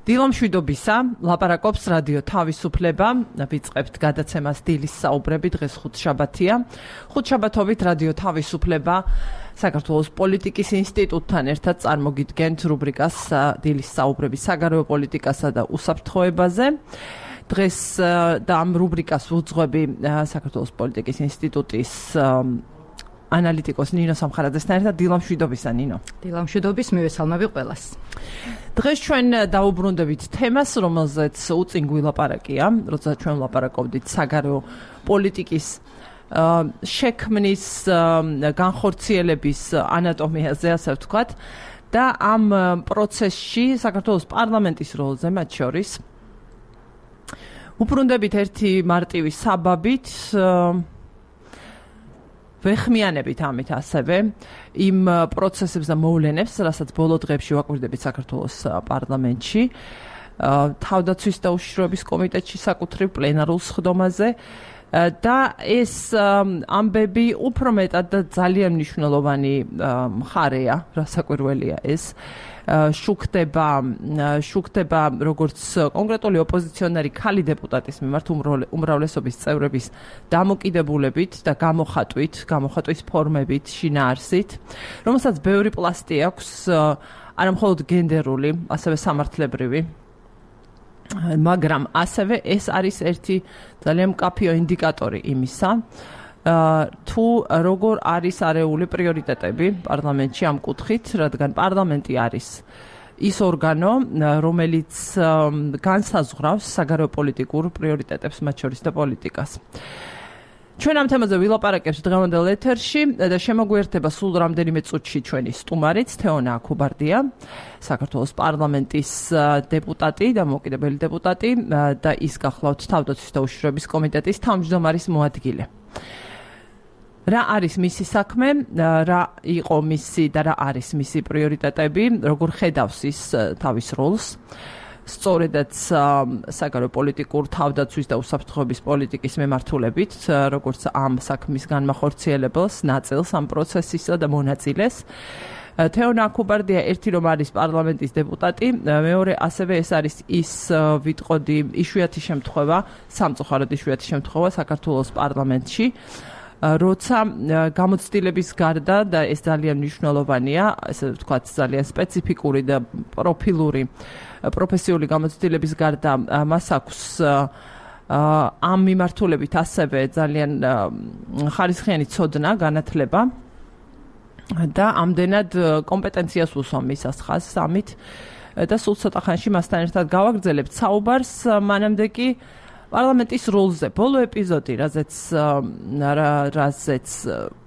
დილამშვიდობისა, ლაპარაკობს რადიო თავისუფლება, ვიწყებთ გადაცემას დილის საუბრები, დღეს ხუთშაბათია. ხუთშაბათობით რადიო თავისუფლება საქართველოს პოლიტიკის ინსტიტუტთან ერთად წარმოგიდგენთ რუბრიკას დილის საუბრები საგარეო პოლიტიკასა და უსაფრთხოებაზე. დღეს და ამ რუბრიკას ვუძღვები საქართველოს პოლიტიკის ინსტიტუტის ანალიტიკოს ნინო სამხარაძესთან ერთად. დილამშვიდობისა, ნინო. დილამშვიდობის, მივესალმები ყველას. დღეს ჩვენ დაუბრუნდებით თემას, რომელზეც უწინ გვილაპარაკია, როცა ჩვენ ვლაპარაკობდით საგარეო პოლიტიკის შექმნის, განხორციელების ანატომიაზე, ასე ვთქვათ, და ამ პროცესში საქართველოს პარლამენტის როლზე მათ შორის. უბრუნდებით ერთი მარტივი საბაბით, ვეხმიანებით ამით ასევე იმ პროცესებს და მოვლენებს, რასაც ბოლო დღეებში ვაკვირდებით საქართველოს პარლამენტში, თავდაცვის და უშიშროების კომიტეტში საკუთრივ პლენარულ სხდომაზე და ეს ამბები უფრო მეტად და ძალიან მნიშვნელოვანი მხარეა, რასაკვირველია ეს. შუქდება როგორც კონკრეტული ოპოზიციონერი ქალი დეპუტატის მიმართ უმრავლესობის წევრების დამოკიდებულებით და გამოხატვის ფორმებით, შინაარსით, რომელსაც ბევრი პლასტი აქვს, არა მხოლოდ გენდერული, ასევე სამართლებრივი. მაგრამ ასევე ეს არის ერთი ძალიან მკაფიო ინდიკატორი იმისა, თუ როგორ არის არეული პრიორიტეტები პარლამენტში ამ კუთხით, რადგან პარლამენტი არის ის ორგანო, რომელიც განსაზღვრავს საგარეო პოლიტიკურ პრიორიტეტებს, მათ შორის და პოლიტიკას. ჩვენ ამ თემაზე ვილაპარაკებთ დღევანდელ ეთერში და შემოგვიერთება სულ რამდენიმე წუთში ჩვენი სტუმარიც, თეონა აქუბარდია, საქართველოს პარლამენტის დეპუტატი და მოკიდებელი დეპუტატი და ის გახლავთ თავდაცვის და უშიშროების კომიტეტის თავმჯდომარის მოადგილე. რა არის მისი საქმე, რა იყო მისი და რა არის მისი პრიორიტეტები, როგორ ხედავს ის თავის როლს, სწორედაც საგარეო პოლიტიკურ თავდაცვის და უსაფრთხოების პოლიტიკის მემართულებით, როგორც ამ საქმის განმახორციელებელს, ნაწილს ამ პროცესისა და მონაწილეს. თეონა აქუბარდია ერთი რომ არის პარლამენტის დეპუტატი, მეორე ასევე ეს არის ის ვიტყოდი იშვიათი შემთხვევა, სამწუხაროდ იშვიათი შემთხვევა საქართველოს პარლამენტში, როცა გამოცდილების გარდა და ეს ძალიან მნიშვნელოვანია, ესე ვთქვათ, ძალიან სპეციფიკური და პროფესიული გამოცდილების გარდა მას აქვს ამ მიმართულებით ასევე ძალიან ხარისხიანი ცოდნა, განათლება და ამდენად კომპეტენციას უსვამ მისას ხაზს ამით და სულ ცოტა ხანში მასთან ერთად გავაგრძელებთ საუბარს, მანამდე კი პარლამენტის როლზე. ბოლო ეპიზოდი, რაზეც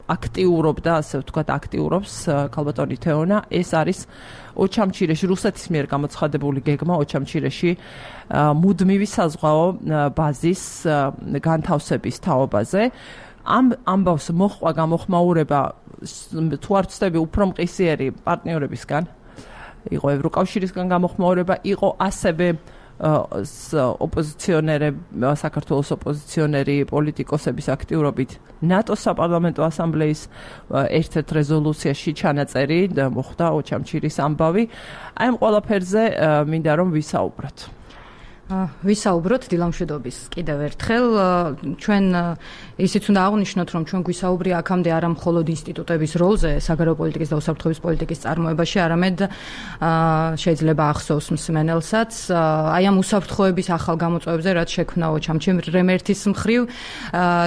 აქტიურობდა, ასე ვთქვათ, აქტიურობს ქალბატონი თეონა, ეს არის ოჩამჩირეში, რუსეთის მიერ გამოცხადებული გეგმა ოჩამჩირეში მუდმივი საზღვაო ბაზის განთავსების თაობაზე. ამ ამბავს მოჰყვა გამოხმაურება, თუ არ ვცდები, უფრო მყისიერი პარტნიორებისგან, იყო ევროკავშირისგან გამოხმაურება, იყო ასევე საქართველოს ოპოზიციონერი პოლიტიკოსების აქტიურობით ნატოს საპარლამენტო ასამბლეის ერთ-ერთ რეზოლუციაში ჩანაწერი და მოხდა ოჩამჩირის ამბავი. აი ამ ყველაფერზე მინდა რომ ვისაუბროთ. ვისაუბროთ დილამშვიდობის კიდევ ერთხელ. ჩვენ ისიც უნდა აღვნიშნოთ, რომ ჩვენ გვისაუბრია აქამდე არა მხოლოდ ინსტიტუტების როლზე საგარეო პოლიტიკის და უსაფრთხოების პოლიტიკის წარმოებაში, არამედ შეიძლება ახსოვს მსმენელსაც აი ამ უსაფრთხოების ახალ გამოწვევებზე, რაც შექმნა ოჩამჩირემ ერთის მხრივ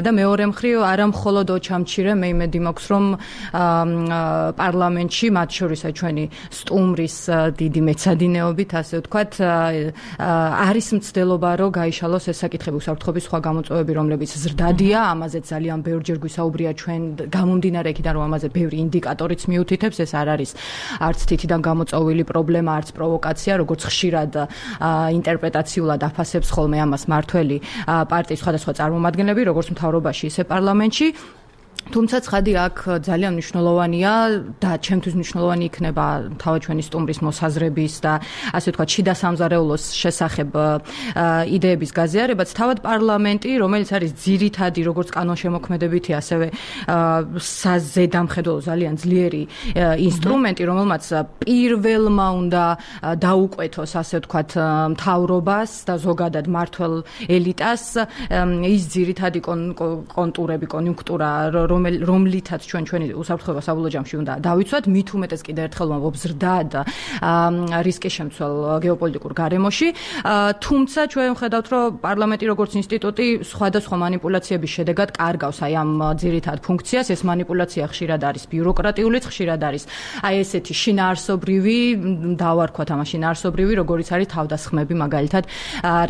და მეორე მხრივ არა მხოლოდ ოჩამჩირემ, მე იმედი მაქვს, რომ პარლამენტში, მათ შორისა ჩვენი სტუმრის დიდი მეცადინეობით, ასე ვთქვათ, არის მცდელობა, რომ გაიშალოს ეს საკითხები, უსაფრთხოების სხვა გამოწვევები, რომლებიც ზრდადია, ამაზე ძალიან ბევრჯერ გვისაუბრია ჩვენ გამომდინარე იქიდან, რომ ამაზე ბევრი ინდიკატორიც მიუთითებს, ეს არ არის არც თითიდან გამოწვეული პრობლემა, არც პროვოკაცია, როგორც ხშირად ინტერპრეტაციულად აფასებს ხოლმე ამას მართველი პარტიის სხვადასხვა წარმომადგენლები, როგორც მთავრობაში, ისე პარლამენტში. თუმცა ცხადი აქ ძალიან მნიშვნელოვანია და ჩემთვის მნიშვნელოვანი იქნება თავად ჩვენი სტუმრის მოსაზრების და ასე ვთქვათ შიდა სამზარეულოს შესახებ იდეების გაზიარებაც თავად პარლამენტი, რომელიც არის ძირითადი როგორც კანონშემოქმედებითი, ასევე საზედამხედველო ძალიან ძლიერი ინსტრუმენტი, რომელმაც პირველმა უნდა დაუკვეთოს ასე ვთქვათ მთავრობას და ზოგადად მმართველ ელიტას ის ძირითადი კონტურები, კონიუნქტურა რომლითაც ჩვენი უსაფრთხოება საბოლოო ჯამში უნდა დავიცვათ, მით უმეტეს კიდევ ერთხელ ვამბობ ზრდად რისკის შემცველ გეოპოლიტიკურ გარემოში. თუმცა ჩვენ ვხედავთ, რომ პარლამენტი როგორც ინსტიტუტი სხვადასხვა მანიპულაციების შედეგად კარგავს აი ამ ძირითად ფუნქციას. ეს მანიპულაცია ხშირად არის ბიუროკრატიულიც, ხშირად არის აი ესეთი შინაარსობრივი, დავარქვათ ამას შინაარსობრივი, როგორიც არის თავდასხმები მაგალითად,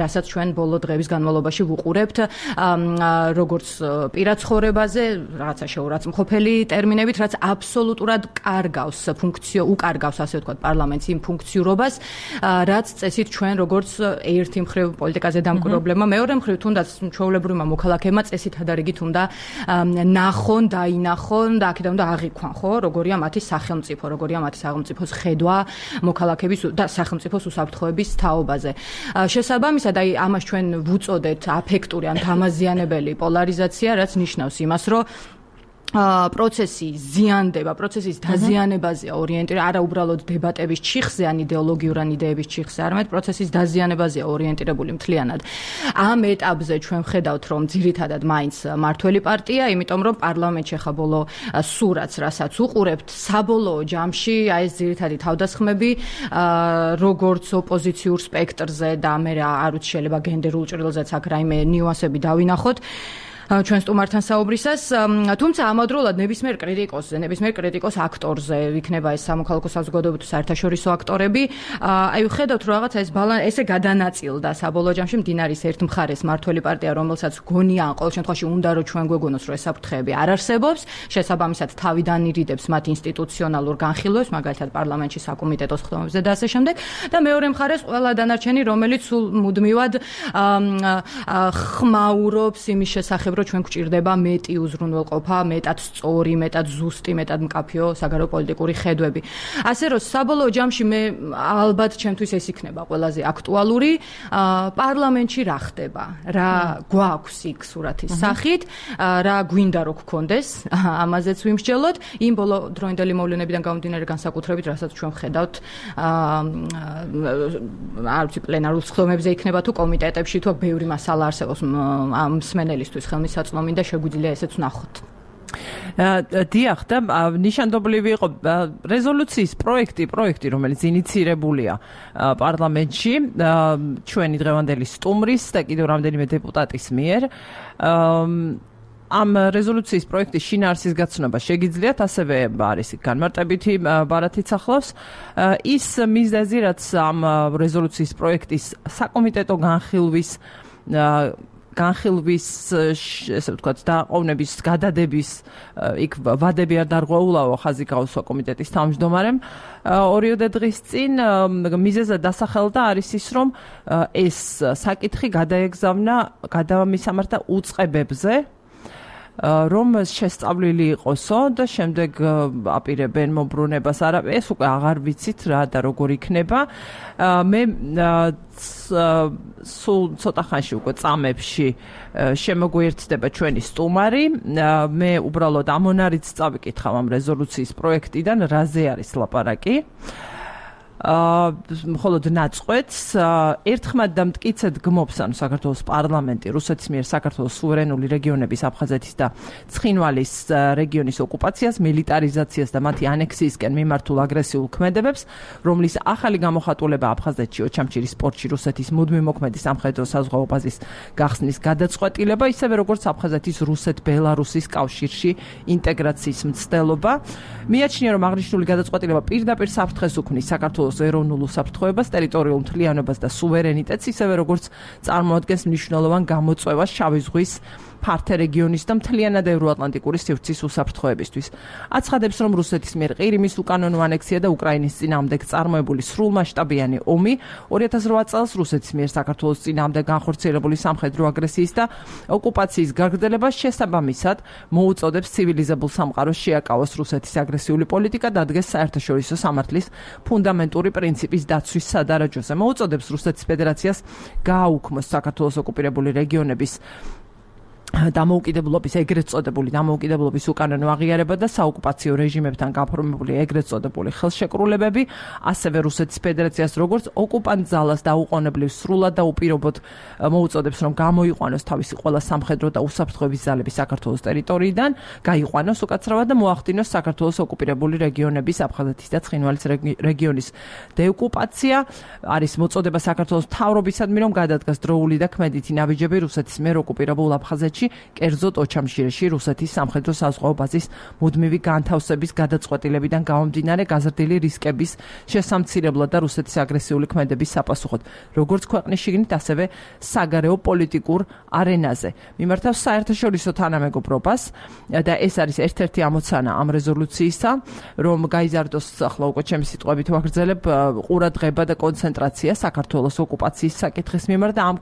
რასაც ჩვენ ბოლო დღეების განმავლობაში ვუყურებთ, როგორც პირად ცხოვრებაზე, რაღაცა შეურაცხმყოფელი ტერმინებით, რაც აბსოლუტურად უკარგავს ასე ვთქვათ პარლამენტს იმ ფუნქციურობას, რაც წესით ჩვენ როგორც ერთი მხრივ პოლიტიკაზე დამკვირვებლებმა, მეორე მხრივ თუნდაც ჩვეულებრივმა მოქალაქეებმა წესით ადარიგით უნდა ნახონ, დაინახონ და აქედან უნდა აღიქვან, ხო, როგორია მათი სახელმწიფო, როგორია მათი სახელმწიფოს ხედვა მოქალაქეების და სახელმწიფოს უსაფრთხოების თაობაზე. შესაბამისად, აი ამას ჩვენ ვუწოდეთ აფექტური ან თამაზიანებელი პოლარიზაცია, რაც ნიშნავს იმას, რომ პროცესი ზიანდება, პროცესის დაზიანებაზეა ორიენტირებული, არა უბრალოდ დებატების ჩიხზე ან იდეოლოგიურ ან იდეების ჩიხზე, არამედ პროცესის დაზიანებაზეა ორიენტირებული მთლიანად. ამ ეტაპზე ჩვენ ვხედავთ, რომ ძირითადად მაინც მმართველი პარტია, იმიტომ რომ პარლამენტში ხა ბოლო სურათს, რასაც უყურებთ, საბოლოო ჯამში აი ეს ძირითადი თავდასხმები, როგორც ოპოზიციურ სპექტრზე და მე არ ვიცი შეიძლება გენდერულ ჭრილზეც აქ რაიმე ნიუანსები დავინახოთ. ჩვენ სტუმართან საუბრისას, თუმცა ამავდროულად ნებისმიერ კრიტიკოს აქტორზე იქნება ეს სამოქალაქო საზოგადოება თუ საერთაშორისო აქტორები, აი ვხედავთ რომ რაღაცა ეს ესე გადანაწილდა საბოლოო ჯამში მდინარის ერთ მხარეს მმართველი პარტია, რომელსაც გონია ან ყოველ შემთხვევაში უნდა რომ ჩვენ გვეგონოს რომ ეს საფრთხეები არ არსებობს, შესაბამისად თავიდან ირიდებს მათ ინსტიტუციონალურ განხილვებს, მაგალითად პარლამენტში საკომიტეტოს ხდომებზე და ასე შემდეგ, და მეორე მხარეს ყველა დანარჩენი, რომელიც სულ მუდმივად ხმაურობს იმის შესახებ, რომ ჩვენ გვჭირდება მეტი უზრუნველყოფა, მეტად სწორი, მეტად ზუსტი, მეტად მკაფიო საგარეო პოლიტიკური ხედვები. ასე რომ საბოლოო ჯამში მე ალბათ ჩემთვის ეს იქნება ყველაზე აქტუალური, პარლამენტში რა ხდება, რა გვაქვს იქ სურათის სახით, რა გვინდა რომ გქონდეს, ამაზეც ვიმსჯელოთ, იმ ბოლო დროინდელი მოვლენებიდან გამომდინარე განსაკუთრებით, რასაც ჩვენ ვხედავთ, არ ვიცი პლენარულ სხდომებზე იქნება თუ კომიტეტებში, თუ ბევრი მასალა არსებობს ამ მსმენელისთვის ხელმისაწვდომი და შეგვიძლია ესეც ვნახოთ. დიახ, და ნიშანდობლივი იყო რეზოლუციის პროექტი, რომელიც ინიცირებულია პარლამენტში ჩვენი დღევანდელი სტუმრის და კიდევ რამდენიმე დეპუტატის მიერ. ამ რეზოლუციის პროექტის შინაარსის გაცნობა შეგიძლიათ, ასევე არის განმარტებითი ბარათიც ახლავს. ის მიზეზი, რაც ამ რეზოლუციის პროექტის საკომიტეტო განხილვის ესე ვთქვათ დაყოვნების გადადების იქ ვადები არ დარღვეულაო ხაზი გაუსვა კომიტეტის თავმჯდომარემ ორიოდე დღის წინ მიზეზად დასახელდა არის ის რომ ეს საკითხი გადამისამართა უწყებებზე რომ შესწავლილი იყოსო და შემდეგ აპირებენ მობრუნებას. არა, ეს უკვე აღარ ვიცით რა და როგორ იქნება. მე სულ ცოტა ხანში უკვე წამებში შემოგვიერთდება ჩვენი სტუმარი. მე უბრალოდ ამონარიც წავიკითხავ ამ რეზოლუციის პროექტიდან, რაზე არის ლაპარაკი. მხოლოდ ნაწყვეტს ერთხმად და მტკიცედ გმობს ანუ საქართველოს პარლამენტი რუსეთის მიერ საქართველოს სუვერენული რეგიონების აფხაზეთის და ცხინვალის რეგიონის ოკუპაციას, მილიტარიზაციას და მათი ანექსიისკენ მიმართულ აგრესიულ ქმედებებს, რომლის ახალი გამოხატულება აფხაზეთში, ოჩამჩირის პორტში რუსეთის მუდმივ მოქმედი სამხედრო საზღვაო ბაზის გახსნის გადაწყვეტილება, ისევე როგორც აფხაზეთის რუსეთ-ბელარუსის კავშირში ინტეგრაციის მცდელობა. მიაჩნია, რომ აღნიშნული გადაწყვეტილება პირდაპირ საფრთხეს უქმნის საქართველოს ეროვნულ უსაფრთხოებას, ტერიტორიულ მთლიანობას და სუვერენიტეტს, ისევე როგორც წარმოადგენს მნიშვნელოვან გამოწვევას შავი ზღვის ფართე რეგიონის და მთლიანად ევროატლანტიკური სივრცის უსაფრთხოებისთვის. აცხადებს, რომ რუსეთის მიერ ყირიმის უკანონო ანექსია და უკრაინის წინააღმდეგ წარმოებული სრულმასშტაბიანი ომი 2008 წელს რუსეთის მიერ საქართველოს წინააღმდეგ განხორციელებული სამხედრო აგრესიის და ოკუპაციის გაგრძელებას შესაბამისად მოუწოდებს ცივილიზებულ სამყაროს შეაკავოს რუსეთის აგრესიული პოლიტიკა და ადგეს საერთაშორისო სამართლის ფუნდამენტური პრინციპის დაცვის სადარაჯოზე. მოუწოდებს რუსეთის ფედერაციას გააუქმოს საქართველოს ოკუპირებული რეგიონების დამოუკიდებლობის ეგრეთ წოდებული დამოუკიდებლობის უკანონო აღიარება და საოკუპაციო რეჟიმებთან გაფორმებული ეგრეთ წოდებული ხელშეკრულებები, ასევე რუსეთის ფედერაციას როგორც ოკუპანტ ძალას დაუყოვნებლივ სრულად და უპირობოდ მოუწოდებს, რომ გამოიყვანოს თავისი ყველა სამხედრო და უსაფრთხოების ძალები საქართველოს ტერიტორიიდან, გაიყვანოს უკაცრავად და მოახდინოს საქართველოს ოკუპირებული რეგიონების აფხაზეთის და ცხინვალის რეგიონის დეოკუპაცია. არის მოწოდება საქართველოს მთავრობისადმი, რომ გადადგას დროული და ქმედითი ნაბიჯები რუსეთის მიერ ოკუპირებულ აფხაზეთში, კერძოდ ოჩამშირეში რუსეთის სამხედრო საზღვაო ბაზის მუდმივი განთავსების გადაწყვეტილებიდან გამომდინარე გაზრდილი რისკების შესამცირებლად და რუსეთის აგრესიული ქმედების საპასუხოდ, როგორც ქვეყნის შიგნით, ასევე საგარეო პოლიტიკურ არენაზე. მიმართავს საერთაშორისო თანამეგობრობას და ეს არის ერთ-ერთი ამოცანა ამ რეზოლუციისა, რომ გაიზარდოს, ახლა უკვე ჩემი სიტყვებით ვაგრძელებ, ყურადღება და კონცენტრაცია საქართველოს ოკუპაციის საკითხის მიმართ და ამ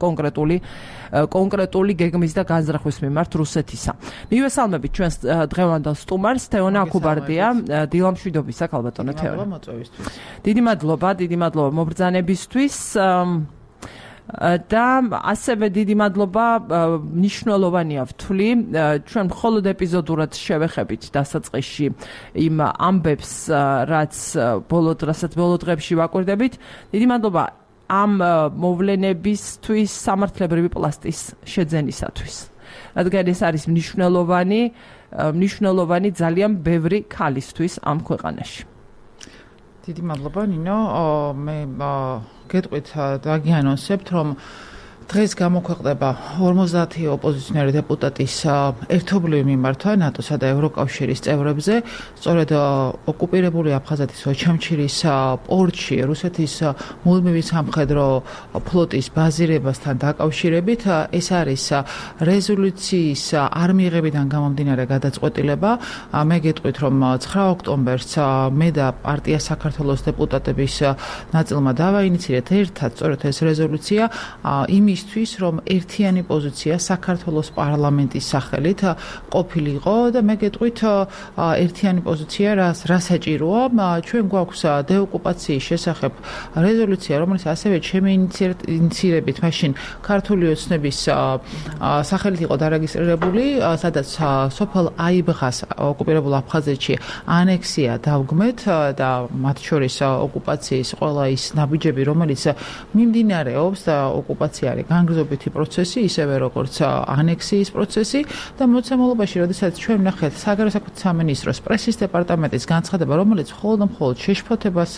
კონკრეტული გეგმის და განზრახვის მიმართ რუსეთისა. მივესალმებით ჩვენს დღევანდელ სტუმარს, თეონა აქუბარდია, დილამშვიდობისა, ქალბატონო თეონა. დიდი მადლობა მობრძანებისთვის. და ასევე დიდი მადლობა მნიშვნელოვანია ვთვლი, ჩვენ მხოლოდ ეპიზოდურად შევეხებით დასაწყისში იმ ამბებს, რასაც ბოლო დღეებში ვაკვირდებით. დიდი მადლობა ამ მოვლენებისთვის სამართლებრივი პლასტის შეძენისათვის. რადგან ეს არის მნიშვნელოვანი ძალიან ბევრი ქალისთვის ამ ქვეყანაში. დიდი მადლობა ნინო, მე გეტყვით დაგიანონსებთ, რომ დღეს გამოქვეყნდება 50 ოპოზიციონერი დეპუტატის ერთობლივი მიმართვა ნატოსა და ევროკავშირის წევრებზე, სწორედ ოკუპირებული აფხაზეთის ოჩამჩირის პორტში რუსეთის მუდმივი სამხედრო ფლოტის ბაზირებასთან დაკავშირებით. ეს არის რეზოლუციის არ მიღებიდან გამომდინარე გადაწყვეტილება. მე გეტყვით, რომ 9 ოქტომბერს მე და პარტია საქართველოს დეპუტატების ნაწილმა დავაინიციირეთ ერთად სწორედ ეს რეზოლუცია იმისთვის, რომ ერთიანი პოზიცია საქართველოს პარლამენტის სახელით ყოფილიყო და მე გეტყვით ერთიანი პოზიცია რა საჭიროა. ჩვენ გვაქვს დეოკუპაციის შესახებ რეზოლუცია, რომელიც ასევე ჩემი ინიციირებით მაშინ ქართული ოცნების სახელით იყო დარეგისტრირებული, სადაც სოფელ აიბღას ოკუპირებულ აფხაზეთში ანექსია დავგმეთ და მათ შორის ოკუპაციის ყველა ის ნაბიჯები, რომელიც მიმდინარეობს და ოკუპაცია არის განგრძობითი პროცესი, ისევე როგორც ანექსიის პროცესი და მოცემულობაში, როდესაც ჩვენ ვნახეთ საგარეო საქმეთა სამინისტროს პრესის დეპარტამენტის განცხადება, რომელიც მხოლოდ შეშფოთებას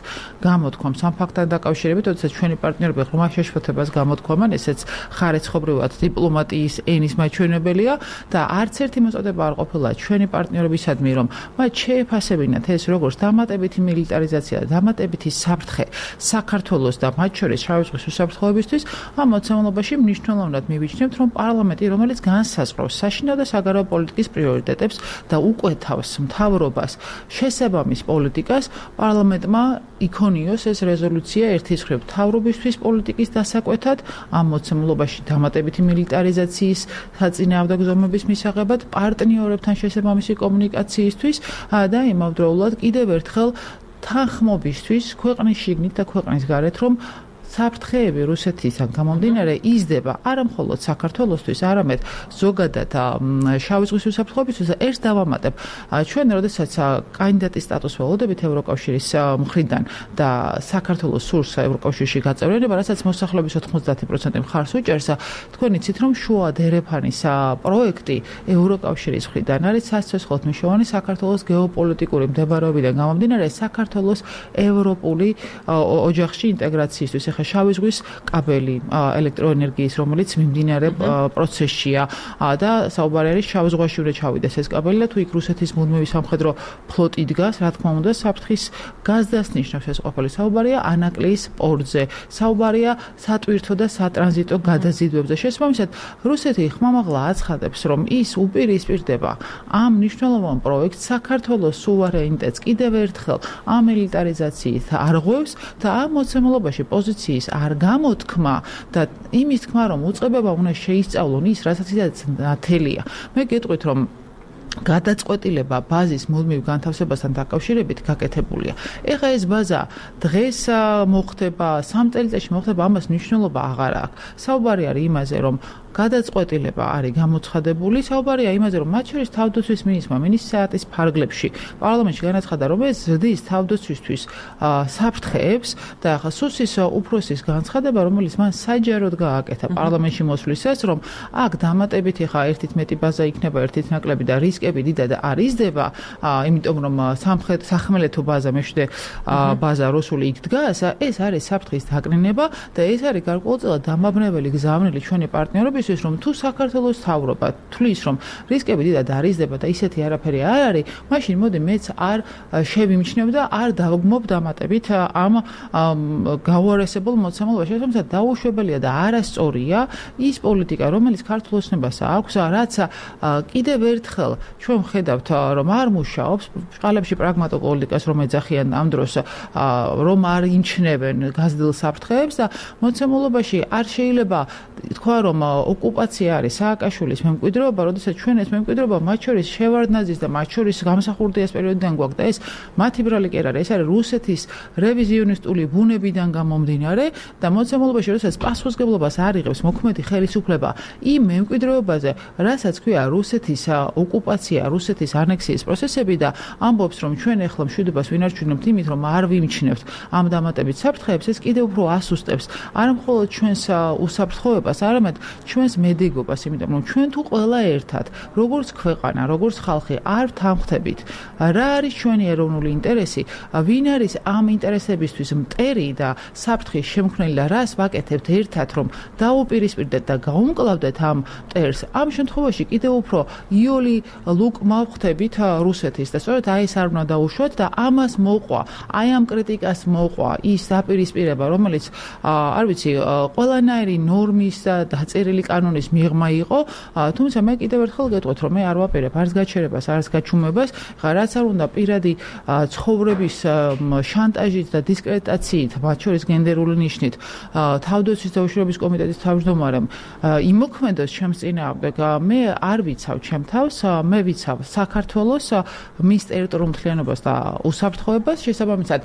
გამოთქვამს ამ ფაქტთან დაკავშირებით, როდესაც ჩვენი პარტნიორები ღრმა შეშფოთებას გამოთქვამენ, ესეც ხარისხობრივად დიპლომატიის ენის მაჩვენებელია და არც ერთი მოწოდება არ ყოფილა ჩვენი პარტნიორებისადმი, რომ მათ შეეფასებინათ ეს როგორც დამატებითი მილიტარიზაცია და დამატებითი საფრთხე საქართველოს და მათ შორის შავი ზღვის უსაფრთხოებისთვის. ამ მოცემულობაში მნიშვნელოვნად მივიჩნევთ, რომ პარლამენტი, რომელიც განსაზღვრავს საშინაო და საგარეო პოლიტიკის პრიორიტეტებს და უკვეთავს მთავრობას შესაბამის პოლიტიკას, პარლამენტმა იქონიოს ეს რეზოლუცია ერთის მხრივ მთავრობისთვის პოლიტიკის დასაკვეთად, ამ მოცემულობაში დამატებითი მილიტარიზაციის საწინააღმდეგო ზომების მისაღებად, პარტნიორებთან შესაბამისი კომუნიკაციისთვის და იმავდროულად კიდევ ერთხელ თანხმობისთვის ქვეყნის შიგნით და ქვეყნის გარეთ, რომ საფრთხეები რუსეთისგან გამომდინარე იზრდება არა მხოლოდ საქართველოსთვის, არამედ ზოგადად შავი ზღვის უსაფრთხოებისთვის. ერთ დავამატებ, ჩვენ როდესაც კანდიდატის სტატუსს ველოდებით ევროკავშირის მხრიდან და საქართველოს სურს ევროკავშირში გაწევრიანება, რასაც მოსახლეობის 90% მხარს უჭერს, თქვენ იცით, რომ შუა დერეფანის პროექტი ევროკავშირის მხრიდან არის სასიცოცხლოდ მნიშვნელოვანი საქართველოს გეოპოლიტიკური მდებარეობიდან გამომდინარე საქართველოს ევროპული ოჯახში ინტეგრაციისთვის. ხა შავი ზღვის კაბელი ელექტროენერგიის, რომელიც მიმდინარე პროცესშია და საუბარი არის შავ ზღვაში უნდა ჩავიდეს ეს კაბელი და თუ იქ რუსეთის მუდმივი სამხედრო ფლოტი დგას, რა თქმა უნდა, საფრთხის გაზდას ნიშნავს ეს ყოფილი. საუბარია ანაკლიის პორტზე, საუბარია სატვირთო და სატრანზიტო გადაზიდვებზე. შესაბამისად, რუსეთი ხმამაღლა აცხადებს, რომ ის უპირისპირდება ამ მნიშვნელოვან პროექტს საქართველოს სუვერენიტეტს კიდევ ერთხელ ამილიტარიზაციით არღვევს და ამ მოცემულობაში პოზიციის არ გამოთქმა და იმის თქმა, რომ უწყებება უნდა შეისწავლონ ის, რასაც ისედაც ნათელია. მე გეტყვით, რომ გადაწყვეტილება ბაზის მუდმივ განთავსებასთან დაკავშირებით გაკეთებულია. ეხლა ეს ბაზა დღეს მოხდება, 3 წელიწადში მოხდება, ამას მნიშვნელობა აღარ აქვს. საუბარი არის იმაზე, რომ გადაწყვეტილება არის გამოცხადებული, საუბარია იმაზე, რომ მათ შორის თავდაცვის მინისტრმა მინისტრიის ფარგლებში პარლამენტში განაცხადა, რომ ეს ზრდის თავდაცვისთვის საფრთხეებს და ახლა სუსის უფროსის განცხადება, რომელიც მან საჯაროდ გააკეთა პარლამენტში მოსვლისას, რომ აქ დამატებით ახლა ერთით მეტი ბაზა იქნება, ერთით ნაკლები და რისკები დიდად არ იზრდება, იმიტომ რომ სახმელეთო ბაზა, მეშვიდე ბაზა რუსული იქ დგას, ეს არის საფრთხის დაკნინება და ეს არის გარკვეულწილად დამაბნეველი გზავნილი ჩვენი პარტნიორების რომ თუ საქართველოს თავრობა თვლის რომ რისკები დიდად არ იზრდება და ისეთი არაფერი არ არის, მაშინ მოდი მეც არ შევიმჩნევ და არ დავგმობ დამატებით ამ გაუარესებულ მოცემულობაში. თუმცა დაუშვებელია და არასწორია ის პოლიტიკა, რომელიც ქართულ ოცნებას აქვს, რაც კიდევ ერთხელ ჩვენ ვხედავთ, რომ არ მუშაობს, ბჭყალებში პრაგმატულ პოლიტიკას რომ ეძახიან ამ დროს, რომ არ იმჩნევენ გაზრდილ საფრთხეებს და მოცემულობაში არ შეიძლება თქვა, რომ ოკუპაცია არის სააკაშვილის მემკვიდრეობა, როდესაც ჩვენ ეს მემკვიდრეობა მათ შორის შევარდნაძის და მათ შორის გამსახურდიას პერიოდიდან გვაქვს და ეს მათი ბრალი კი არ არის, ეს არის რუსეთის რევიზიონისტული ბუნებიდან გამომდინარე და მოცემულობაში როდესაც პასუხისმგებლობას არ იღებს მოქმედი ხელისუფლება იმ მემკვიდრეობაზე, რასაც ქვია რუსეთის ოკუპაცია, რუსეთის ანექსიის პროცესები და ამბობს, რომ ჩვენ ახლა მშვიდობას ვინარჩუნებთ იმით, რომ არ ვიმჩნევთ ამ დამატებით საფრთხეებს, ეს კიდევ უფრო ასუსტებს არა მხოლოდ ჩვენს უსაფრთხოებას, არამედ ჩვენს მედეგობას, იმიტომ რომ ჩვენ თუ ყველა ერთად, როგორც ქვეყანა, როგორც ხალხი არ ვთანხმდებით, რა არის ჩვენი ეროვნული ინტერესი, ვინ არის ამ ინტერესებისთვის მტერი და საფრთხის შემქმნელი და რას ვაკეთებთ ერთად, რომ დაუპირისპირდეთ და გაუმკლავდეთ ამ მტერს, ამ შემთხვევაში კიდევ უფრო იოლი ლუკმა ვხვდებით რუსეთის და სწორედ აი ეს არ უნდა დაუშვათ და ამას მოყვა, აი ამ კრიტიკას მოყვა ის დაპირისპირება, რომელიც არ ვიცი, ყველანაირი ნორმის და დაწერილი კანონის მიღმა იყო, თუმცა მე კიდევ ერთხელ გეტყვით, რომ მე არ ვაპირებ არც გაჩერებას, არც გაჩუმებას, ხა რაც არ უნდა პირადი ცხოვრების შანტაჟით და დისკრედიტაციით, მათ შორის გენდერული ნიშნით, თავდაცვის და უშიშროების კომიტეტის თავმჯდომარემ იმოქმედოს ჩემს წინააღმდეგ, მე არ ვიცავ ჩემ თავს, მე ვიცავ საქართველოს მის ტერიტორიულ მთლიანობას და უსაფრთხოებას, შესაბამისად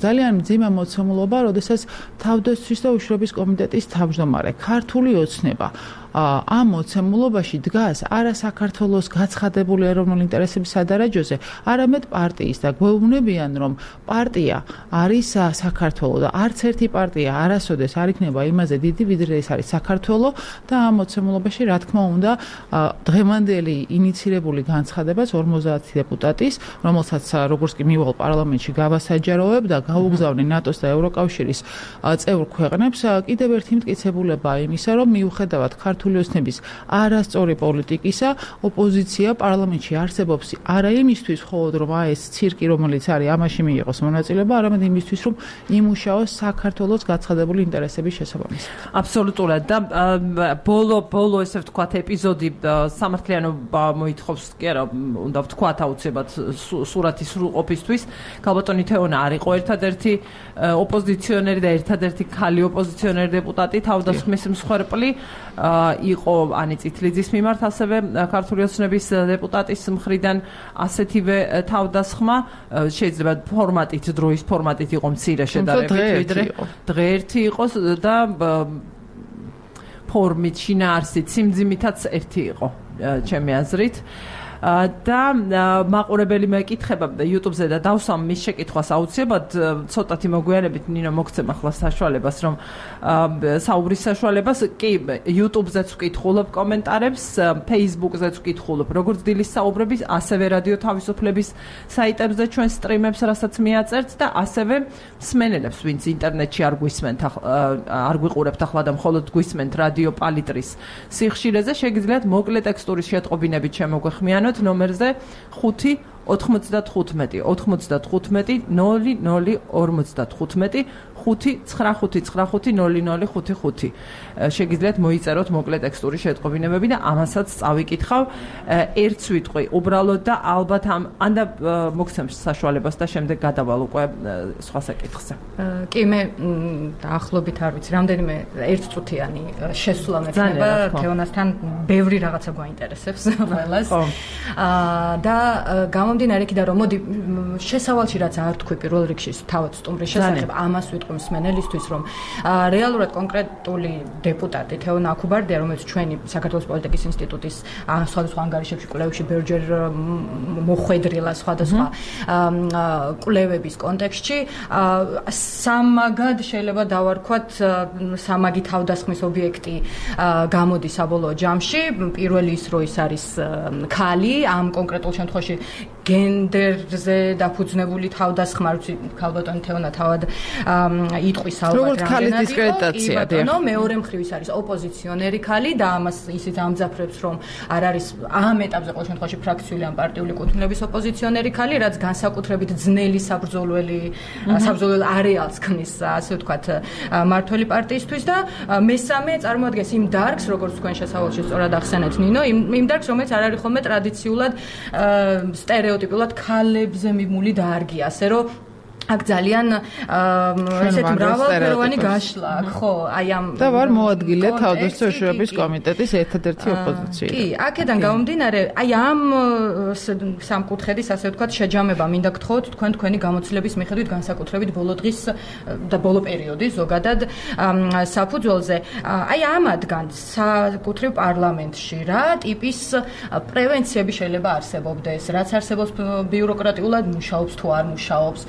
ძალიან მძიმე მოცემულობა, როდესაც თავდაცვის და უშიშროების კომიტეტის თავმჯდომარე ქართული ოცნება ამ მოცემულობაში დგას არა საქართველოს გაცხადებული ეროვნული ინტერესების სადარაჯოზე, არამედ პარტიის და გვეუბნებიან, რომ პარტია არის საქართველო და არც ერთი პარტია არასოდეს არ იქნება იმაზე დიდი, ვიდრე ეს არის საქართველო და ამ მოცემულობაში, რა თქმა უნდა, დღევანდელი ინიცირებული განცხადება 50 დეპუტატის, რომელსაც როგორც კი მივალ პარლამენტში გავასაჯაროებ და გაუგზავნე ნატოს და ევროკავშირის წევრ ქვეყნებს, კიდევ ერთი მტკიცებულება იმისა, რომ მიუხედავად ქართული ოცნების არასწორი პოლიტიკისა, ოპოზიცია პარლამენტში არსებობს არა იმისთვის მხოლოდ, რომ ეს ცირკი, რომელიც არის, ამაში მიიღოს მონაწილეობა, არამედ იმისთვის, რომ იმუშაოს საქართველოს გაცხადებული ინტერესების შესაბამისად. აბსოლუტურად და ბოლო ესე ვთქვათ ეპიზოდი სამართლიანობა მოითხოვს კი არა, უნდა ვთქვათ აუცილებლად სურათის სრულყოფისთვის. ქალბატონი თეონა არ იყო ერთადერთი ოპოზიციონერი და ერთადერთი ქალი ოპოზიციონერი დეპუტატი, თავდასხმის მსხვერპლი იყო ანი წითლიძის მიმართ, ასევე ქართული ოცნების დეპუტატის მხრიდან ასეთივე თავდასხმა, შეიძლება ფორმატით, დროის ფორმატით იყო მცირე შედარებით, ვიდრე დღე ერთი იყოს და ფორმით, შინაარსით, სიმძიმითაც ერთი იყო, ჩემი აზრით. და მაყურებელი მეკითხება YouTube-ზე და დავსვამ მის შეკითხვას აუცილებლად ცოტათი მოგვიანებით ნინო მოგცემ ახლა საშუალებას რომ საუბრის საშუალებას კი YouTube-ზეც ვკითხულობ კომენტარებს, Facebook-ზეც ვკითხულობ როგორც დილის საუბრების, ასევე რადიო თავისუფლების საიტებზე ჩვენ სტრიმებს რასაც მიაწერთ და ასევე მსმენელებს ვინც ინტერნეტში არ გვისმენთ არ გვიყურებთ ახლა და მხოლოდ გვისმენთ რადიო პალიტრის სიხშირეზე შეგიძლიათ მოკლე ტექსტურის შეტყობინებით შემოგვეხმიანოთ ნომერზე 5 95 95 0055 595500555. შეგიძლიათ მოიწეროთ მოკლე ტექსტური შეტყობინებები და ამასაც წავიკითხავ ერთ სიტყვი უბრალოდ და ალბათ ანდა მოგცემს საშუალებას და შემდეგ გადავალ უკვე სხვა საკითხზე. კი მე დაახლოებით არ ვიცი რამდენიმე ერთწუთიანი შესვლა მექნება თეონასთან ბევრი რაღაცა გვაინტერესებს ყველას. და გამომდინარე იქიდან რომ მოდი შესავალში რაც არ თქვი პირველ რიგში თავად სტუმრის შესახებ ამას ვიტყვი მსმენელისთვის რომ რეალურად კონკრეტული დეპუტატი თეონა აქუბარდია რომელიც ჩვენი საქართველოს პოლიტიკის ინსტიტუტის სხვადასხვა ანგარიშებში კვლევებში ბევრჯერ მოხვედრილა სხვადასხვა კვლევების კონტექსტში სამაგად შეიძლება დავარქვათ სამაგი თავდასხმის ობიექტი გამოდის საბოლოო ჯამში პირველი ის რო ის არის ქალი ამ კონკრეტულ შემთხვევაში გენდერზე დაფუძნებული თავდასხმა ვიცი ქალბატონი თეონა თავად იტყვის ალბათ რამდენად იყო მეორე მხრივ ის არის ოპოზიციონერი ქალი და ამას ისიც ამძაფრებს რომ არ არის ამ ეტაპზე ყოველ შემთხვევაში ფრაქციული ან პარტიული კუთვნილების ოპოზიციონერი ქალი რაც განსაკუთრებით ძნელი საბრძოლველი არეალს ქმნის ასე ვთქვათ მართველი პარტიისთვის და მესამე წარმოადგენს იმ დარგს როგორც თქვენ შესავალში სწორად ახსენეთ ნინო იმ დარგს რომელიც არ არის ხოლმე ტრადიციულად სტერეოტიპულად ქალებზე მიმული დარგი ასე რომ აქ ძალიან ესეთი მრავალფეროვანი გაშლა აქ ხო აი ამ და ვარ მოადგილე თავდაცვის კომიტეტის ერთადერთი ოპოზიცია. კი, აქედან გამომდინარე, აი ამ სამკუთხედის ასე ვთქვათ შეჯამება მინდა გთხოვოთ თქვენი გამოცდილების მიხედვით განსაკუთრებით ბოლო დღის და ბოლო პერიოდის ზოგადად საფუძველზე. აი ამადგან საკუთრივ პარლამენტში რა ტიპის პრევენციები შეიძლება არსებობდეს, რაც არსებობს ბიუროკრატიულად მუშაობს თუ არ მუშაობს.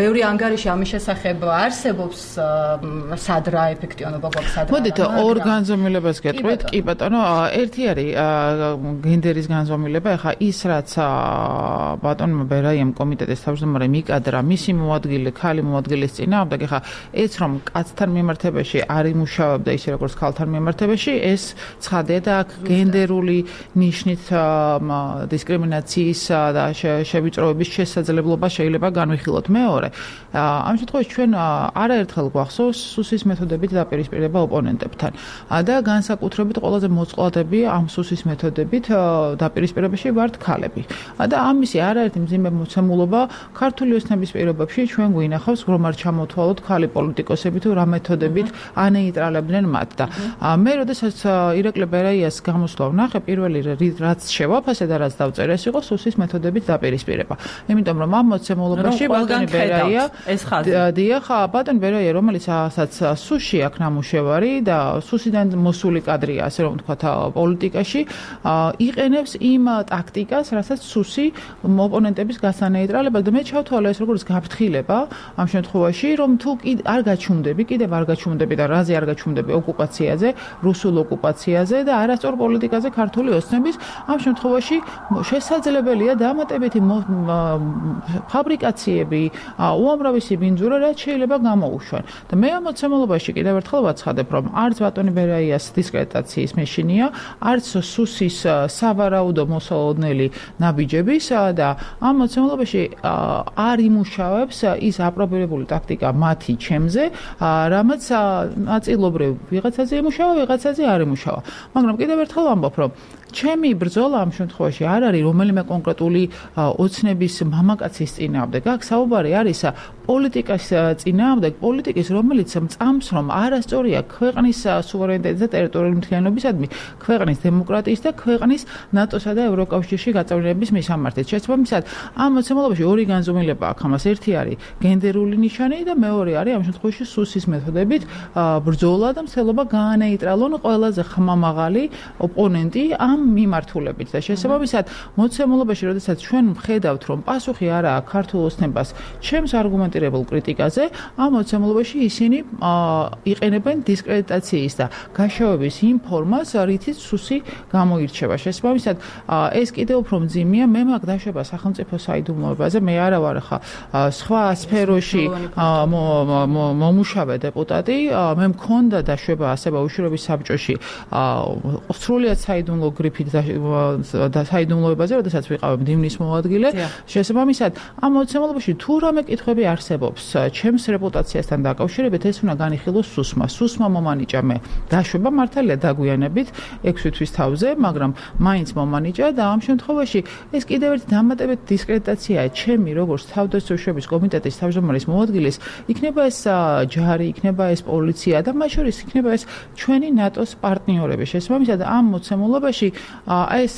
ბევრი ანგარიში ამის შესახებ არსებობს სად რა ეფექტიანობა გვაქვს სად. მოდით ორ განზომილებას გეტყვით. კი ბატონო, ერთი არის გენდერის განზომილება. ახლა ის რაც ბატონმა ბერაიამ კომიტეტის თავმჯდომარე მიკადრა მისი მოადგილე ქალი მოადგილის წინააღმდეგ ახლა ეს რომ კაცთან მიმართებაში არ იმუშავებდა ისე როგორც ქალთან მიმართებაში ეს ცხადია და აქ გენდერული ნიშნით დისკრიმინაციის და შევიწროების შესაძლებლობა შეიძლება განვიხილოთ. მეორე ამ შემთხვევაში ჩვენ არაერთხელ გვახსოვს სუსის მეთოდებით დაპირისპირება ოპონენტებთან და განსაკუთრებით ყველაზე მოწყვლადები ამ სუსის მეთოდებით დაპირისპირებაში ვართ ქალები და ამისი არაერთი მძიმე მოცემულობა ქართული ოცნების პირობებში ჩვენ გვინახავს რომ არ ჩამოთვალოთ ქალი პოლიტიკოსები თუ რა მეთოდებით ანეიტრალებდნენ მათ და მე როდესაც ირაკლი ბერაიას გამოსვლა ვნახე პირველი რაც შევაფასე და რაც დავწერე ეს იყო სუსის მეთოდებით დაპირისპირება იმიტომ რომ ამ მოცემულობაში ბატონი ბერაია ეს ხაზი დიახ ბატონი ბერაია რომელიც ასაც სუში აქ ნამუშევარი და სუსიდან მოსული კადრია ასე რომ ვთქვათ პოლიტიკაში იყენებს იმ ტაქტიკას რასაც სუსი ოპონენტების გასანეიტრალება და მე ჩავთვალე ეს როგორც გაფრთხილება ამ შემთხვევაში რომ თუ არ გაჩუმდები კიდევ არ გაჩუმდები და რაზე არ გაჩუმდები ოკუპაციაზე რუსულ ოკუპაციაზე და არასწორ პოლიტიკაზე ქართული ოცნების ამ შემთხვევაში შესაძლებელია დამატებითი ფაბრიკაციები უამრავი ბინძურა რაც შეიძლება გამოუშვან და მე ამ მოცემულობაში კიდევ ერთხელ ვაცხადებ რომ არც ბატონი ბერაიას დისკრედიტაციის მეშინია არც სუსის სავარაუდო მოსალოდნელი ნაბიჯების და ამ მოცემულობაში არ იმუშავებს ის აპრობირებული ტაქტიკა მათი ჩემზე რამაც ნაწილობრივ ვიღაცაზე იმუშავა ვიღაცაზე არ იმუშავა მაგრამ კიდევ ერთხელ ვამბობ რომ ჩემი ბრძოლა ამ შემთხვევაში არ არის რომელიმე კონკრეტული ოცნების მამაკაცის წინააღმდეგ. აქ საუბარი არის პოლიტიკის წინააღმდეგ, პოლიტიკის, რომელიც მწამს, რომ არასწორია ქვეყნის სუვერენიტეტის და ტერიტორიული მთლიანობისადმი, ქვეყნის დემოკრატიის და ქვეყნის ნატოსა და ევროკავშირში გაწევრიანების მისამართით. შესაბამისად, ამ მოცემულობაში ორი განზომილება აქვს. ამას ერთი არის გენდერული ნიშანი და მეორე არის ამ შემთხვევაში სუსის მეთოდებით ბრძოლა და მცდელობა გაანეიტრალონ ყველაზე ხმამაღალი ოპონენტი ამ მიმართულებით. და შესაბამისად, მოცემულობაში, როდესაც ჩვენ ვხედავთ, რომ პასუხი არა აქვს ქართულ ოცნებას ჩემს არგუმენტირებულ კრიტიკაზე, ამ მოცემულობაში ისინი იყენებენ დისკრედიტაციის და გაშავების იმ ფორმას, რითიც სუსი გამოირჩევა. შესაბამისად, ეს კიდევ უფრო მძიმეა, მე მაქვს დაშვება სახელმწიფო საიდუმლოებაზე, მე არა ვარ ხა სხვა სფეროში მომუშავე დეპუტატი, მე მქონდა დაშვება ასე ბავშვების საბჭოში სრულიად საიდუმლო გრიფით და საიდუმლოებაზე, როდესაც ვიყავ მდივნის მოადგილე. შესაბამისად, ამ მოცემულობაში თუ რამე კითხვები არსებობს ჩემს რეპუტაციასთან დაკავშირებით, ეს უნდა განიხილოს სუსმა. სუსმა მომანიჭა მე დაშვება მართალია დაგვიანებით 6 თვის თავზე, მაგრამ მაინც მომანიჭა და ამ შემთხვევაში ეს კიდევ ერთი დამატებითი დისკრედიტაციაა ჩემი როგორც თავდაცვის კომიტეტის თავმჯდომარის მოადგილის, იქნება ეს ჯარი, იქნება ეს პოლიცია და მათ შორის იქნება ეს ჩვენი ნატოს პარტნიორები. შესაბამისად, ამ მოცემულობაში ეს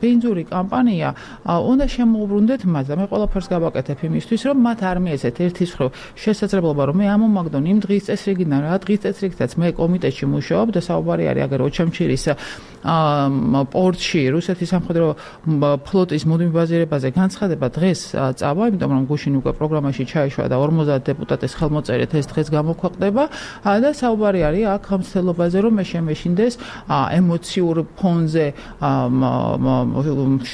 ბენზური კამპანია უნდა შემოუბრუნდეთ მას და მე ყველაფერს გავაკეთებ იმისთვის, რომ მათ არ მიეცეთ ერთის მხრივ შესაძლებლობა, რომ მე ამომაგდონ იმ დღის წესრიგიდან, რა დღის წესრიგითაც მე კომიტეტში მუშაობ და საუბარი არის აგერ ოჩამჩირის პორტში რუსეთის სამხედრო ფლოტის მუდმივ ბაზირებაზე განცხადება დღეს წავა, იმიტომ რომ გუშინ უკვე პროგრამაში ჩაიშვა და 50 დეპუტატის ხელმოწერით ეს დღეს გამოქვეყნდება და საუბარი არის აქ მცდელობაზე, რომ მე შემეშინდეს ემოციურ ფონზე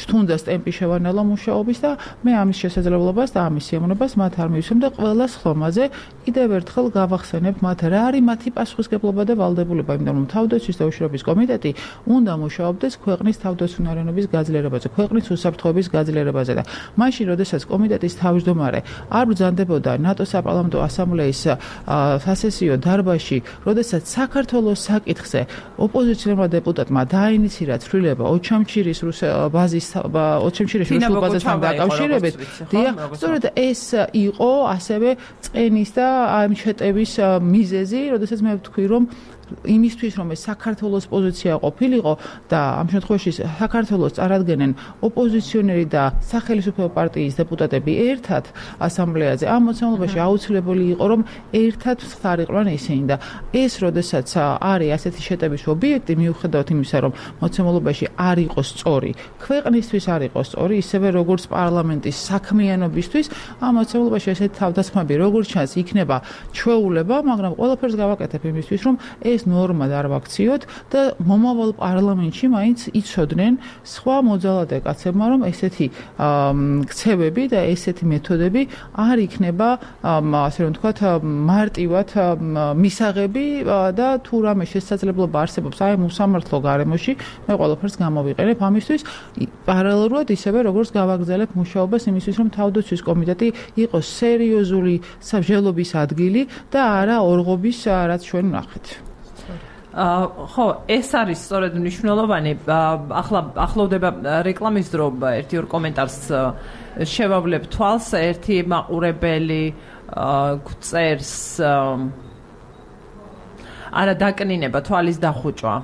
შთუნდა სტემპი შევანელა მუშაობის და მე ამის შესაძლებლობას და ამის სიამოვნებას მათ არ მივისვեմ და ყველა ხლომაზე კიდევ ერთხელ გავახსენებ მათ რა არის მათი პასუხისგებლობა და ვალდებულება, იმიტომ რომ თავდაცვის და უშიშროების კომიტეტი უნდა მუშაობდეს ქვეყნის თავდაცვიანობის გაძლიერებაზე, ქვეყნის უსაფრთხოების გაძლიერებაზე და მაშინ, როდესაც კომიტეტის თავმჯდომარე არ ბრძანდებოდა ნატოს საპარლამენტო ასამბლეის სასესიო დარბაზში, როდესაც საქართველოს საკითხზე ოპოზიციონერმა დეპუტატმა დაინიცირა ცვლილება ოჩამჩირის ბაზის ოჩამჩირის რუსულ ბაზასთან დაკავშირებით, სწორედ ეს იყო ასევე წენის და ამ შეტევის მიზეზი, როდესაც მე ვთქვი, რომ იმისთვის, რომ ეს საქართველოს პოზიცია ყოფილიყო და ამ შემთხვევაში საქართველოს წარადგენენ ოპოზიციონერი და სახელმწიფო პარტიის დეპუტატები ერთად ასამბლეაზე, ამ მოცემულობაში აუცილებელი იყო, რომ ერთად ხარიყვნენ ისინი და ეს, როდესაც არის ასეთი შეტევის ობიექტი, მიუხედავად იმისა, რომ მოცემულობაში არ იყოს სწორი, ქვეყნისთვის არ იყოს სწორი, ისევე როგორც პარლამენტის საქმიანობისთვის, ამ მოცემულობაში ესეთი თავდასხმები, როგორც ჩანს, იქნება ჩვეულება, მაგრამ ყველაფერს გავაკეთებ იმისთვის, რომ ეს ნორმა არ ვაქციოთ და მომავალ პარლამენტში მაინც იცოდნენ სხვა მოძალადე კაცებმა, რომ ესეთი ქცევები და ესეთი მეთოდები არ იქნება, ასე რომ ვთქვათ, მარტივად მისაღები და თუ რამე შესაძლებლობა არსებობს აი უსამართლო გარემოში, მე ყველაფერს გამოვიყენებ ამისთვის, პარალელურად ისევე როგორც გავაგრძელებ მუშაობას იმისთვის, რომ თავდაცვის კომიტეტი იყოს სერიოზული საბრძოლების ადგილი და არა ორღობის, რაც ჩვენ ვნახეთ. ხო, ეს არის სწორედ მნიშვნელოვანი. ახლოვდება რეკლამის დრო, ერთი-ორ კომენტარს შევავლებ თვალს, ერთი მაყურებელი წერს არა დაკნინება, თვალის დახუჭვა.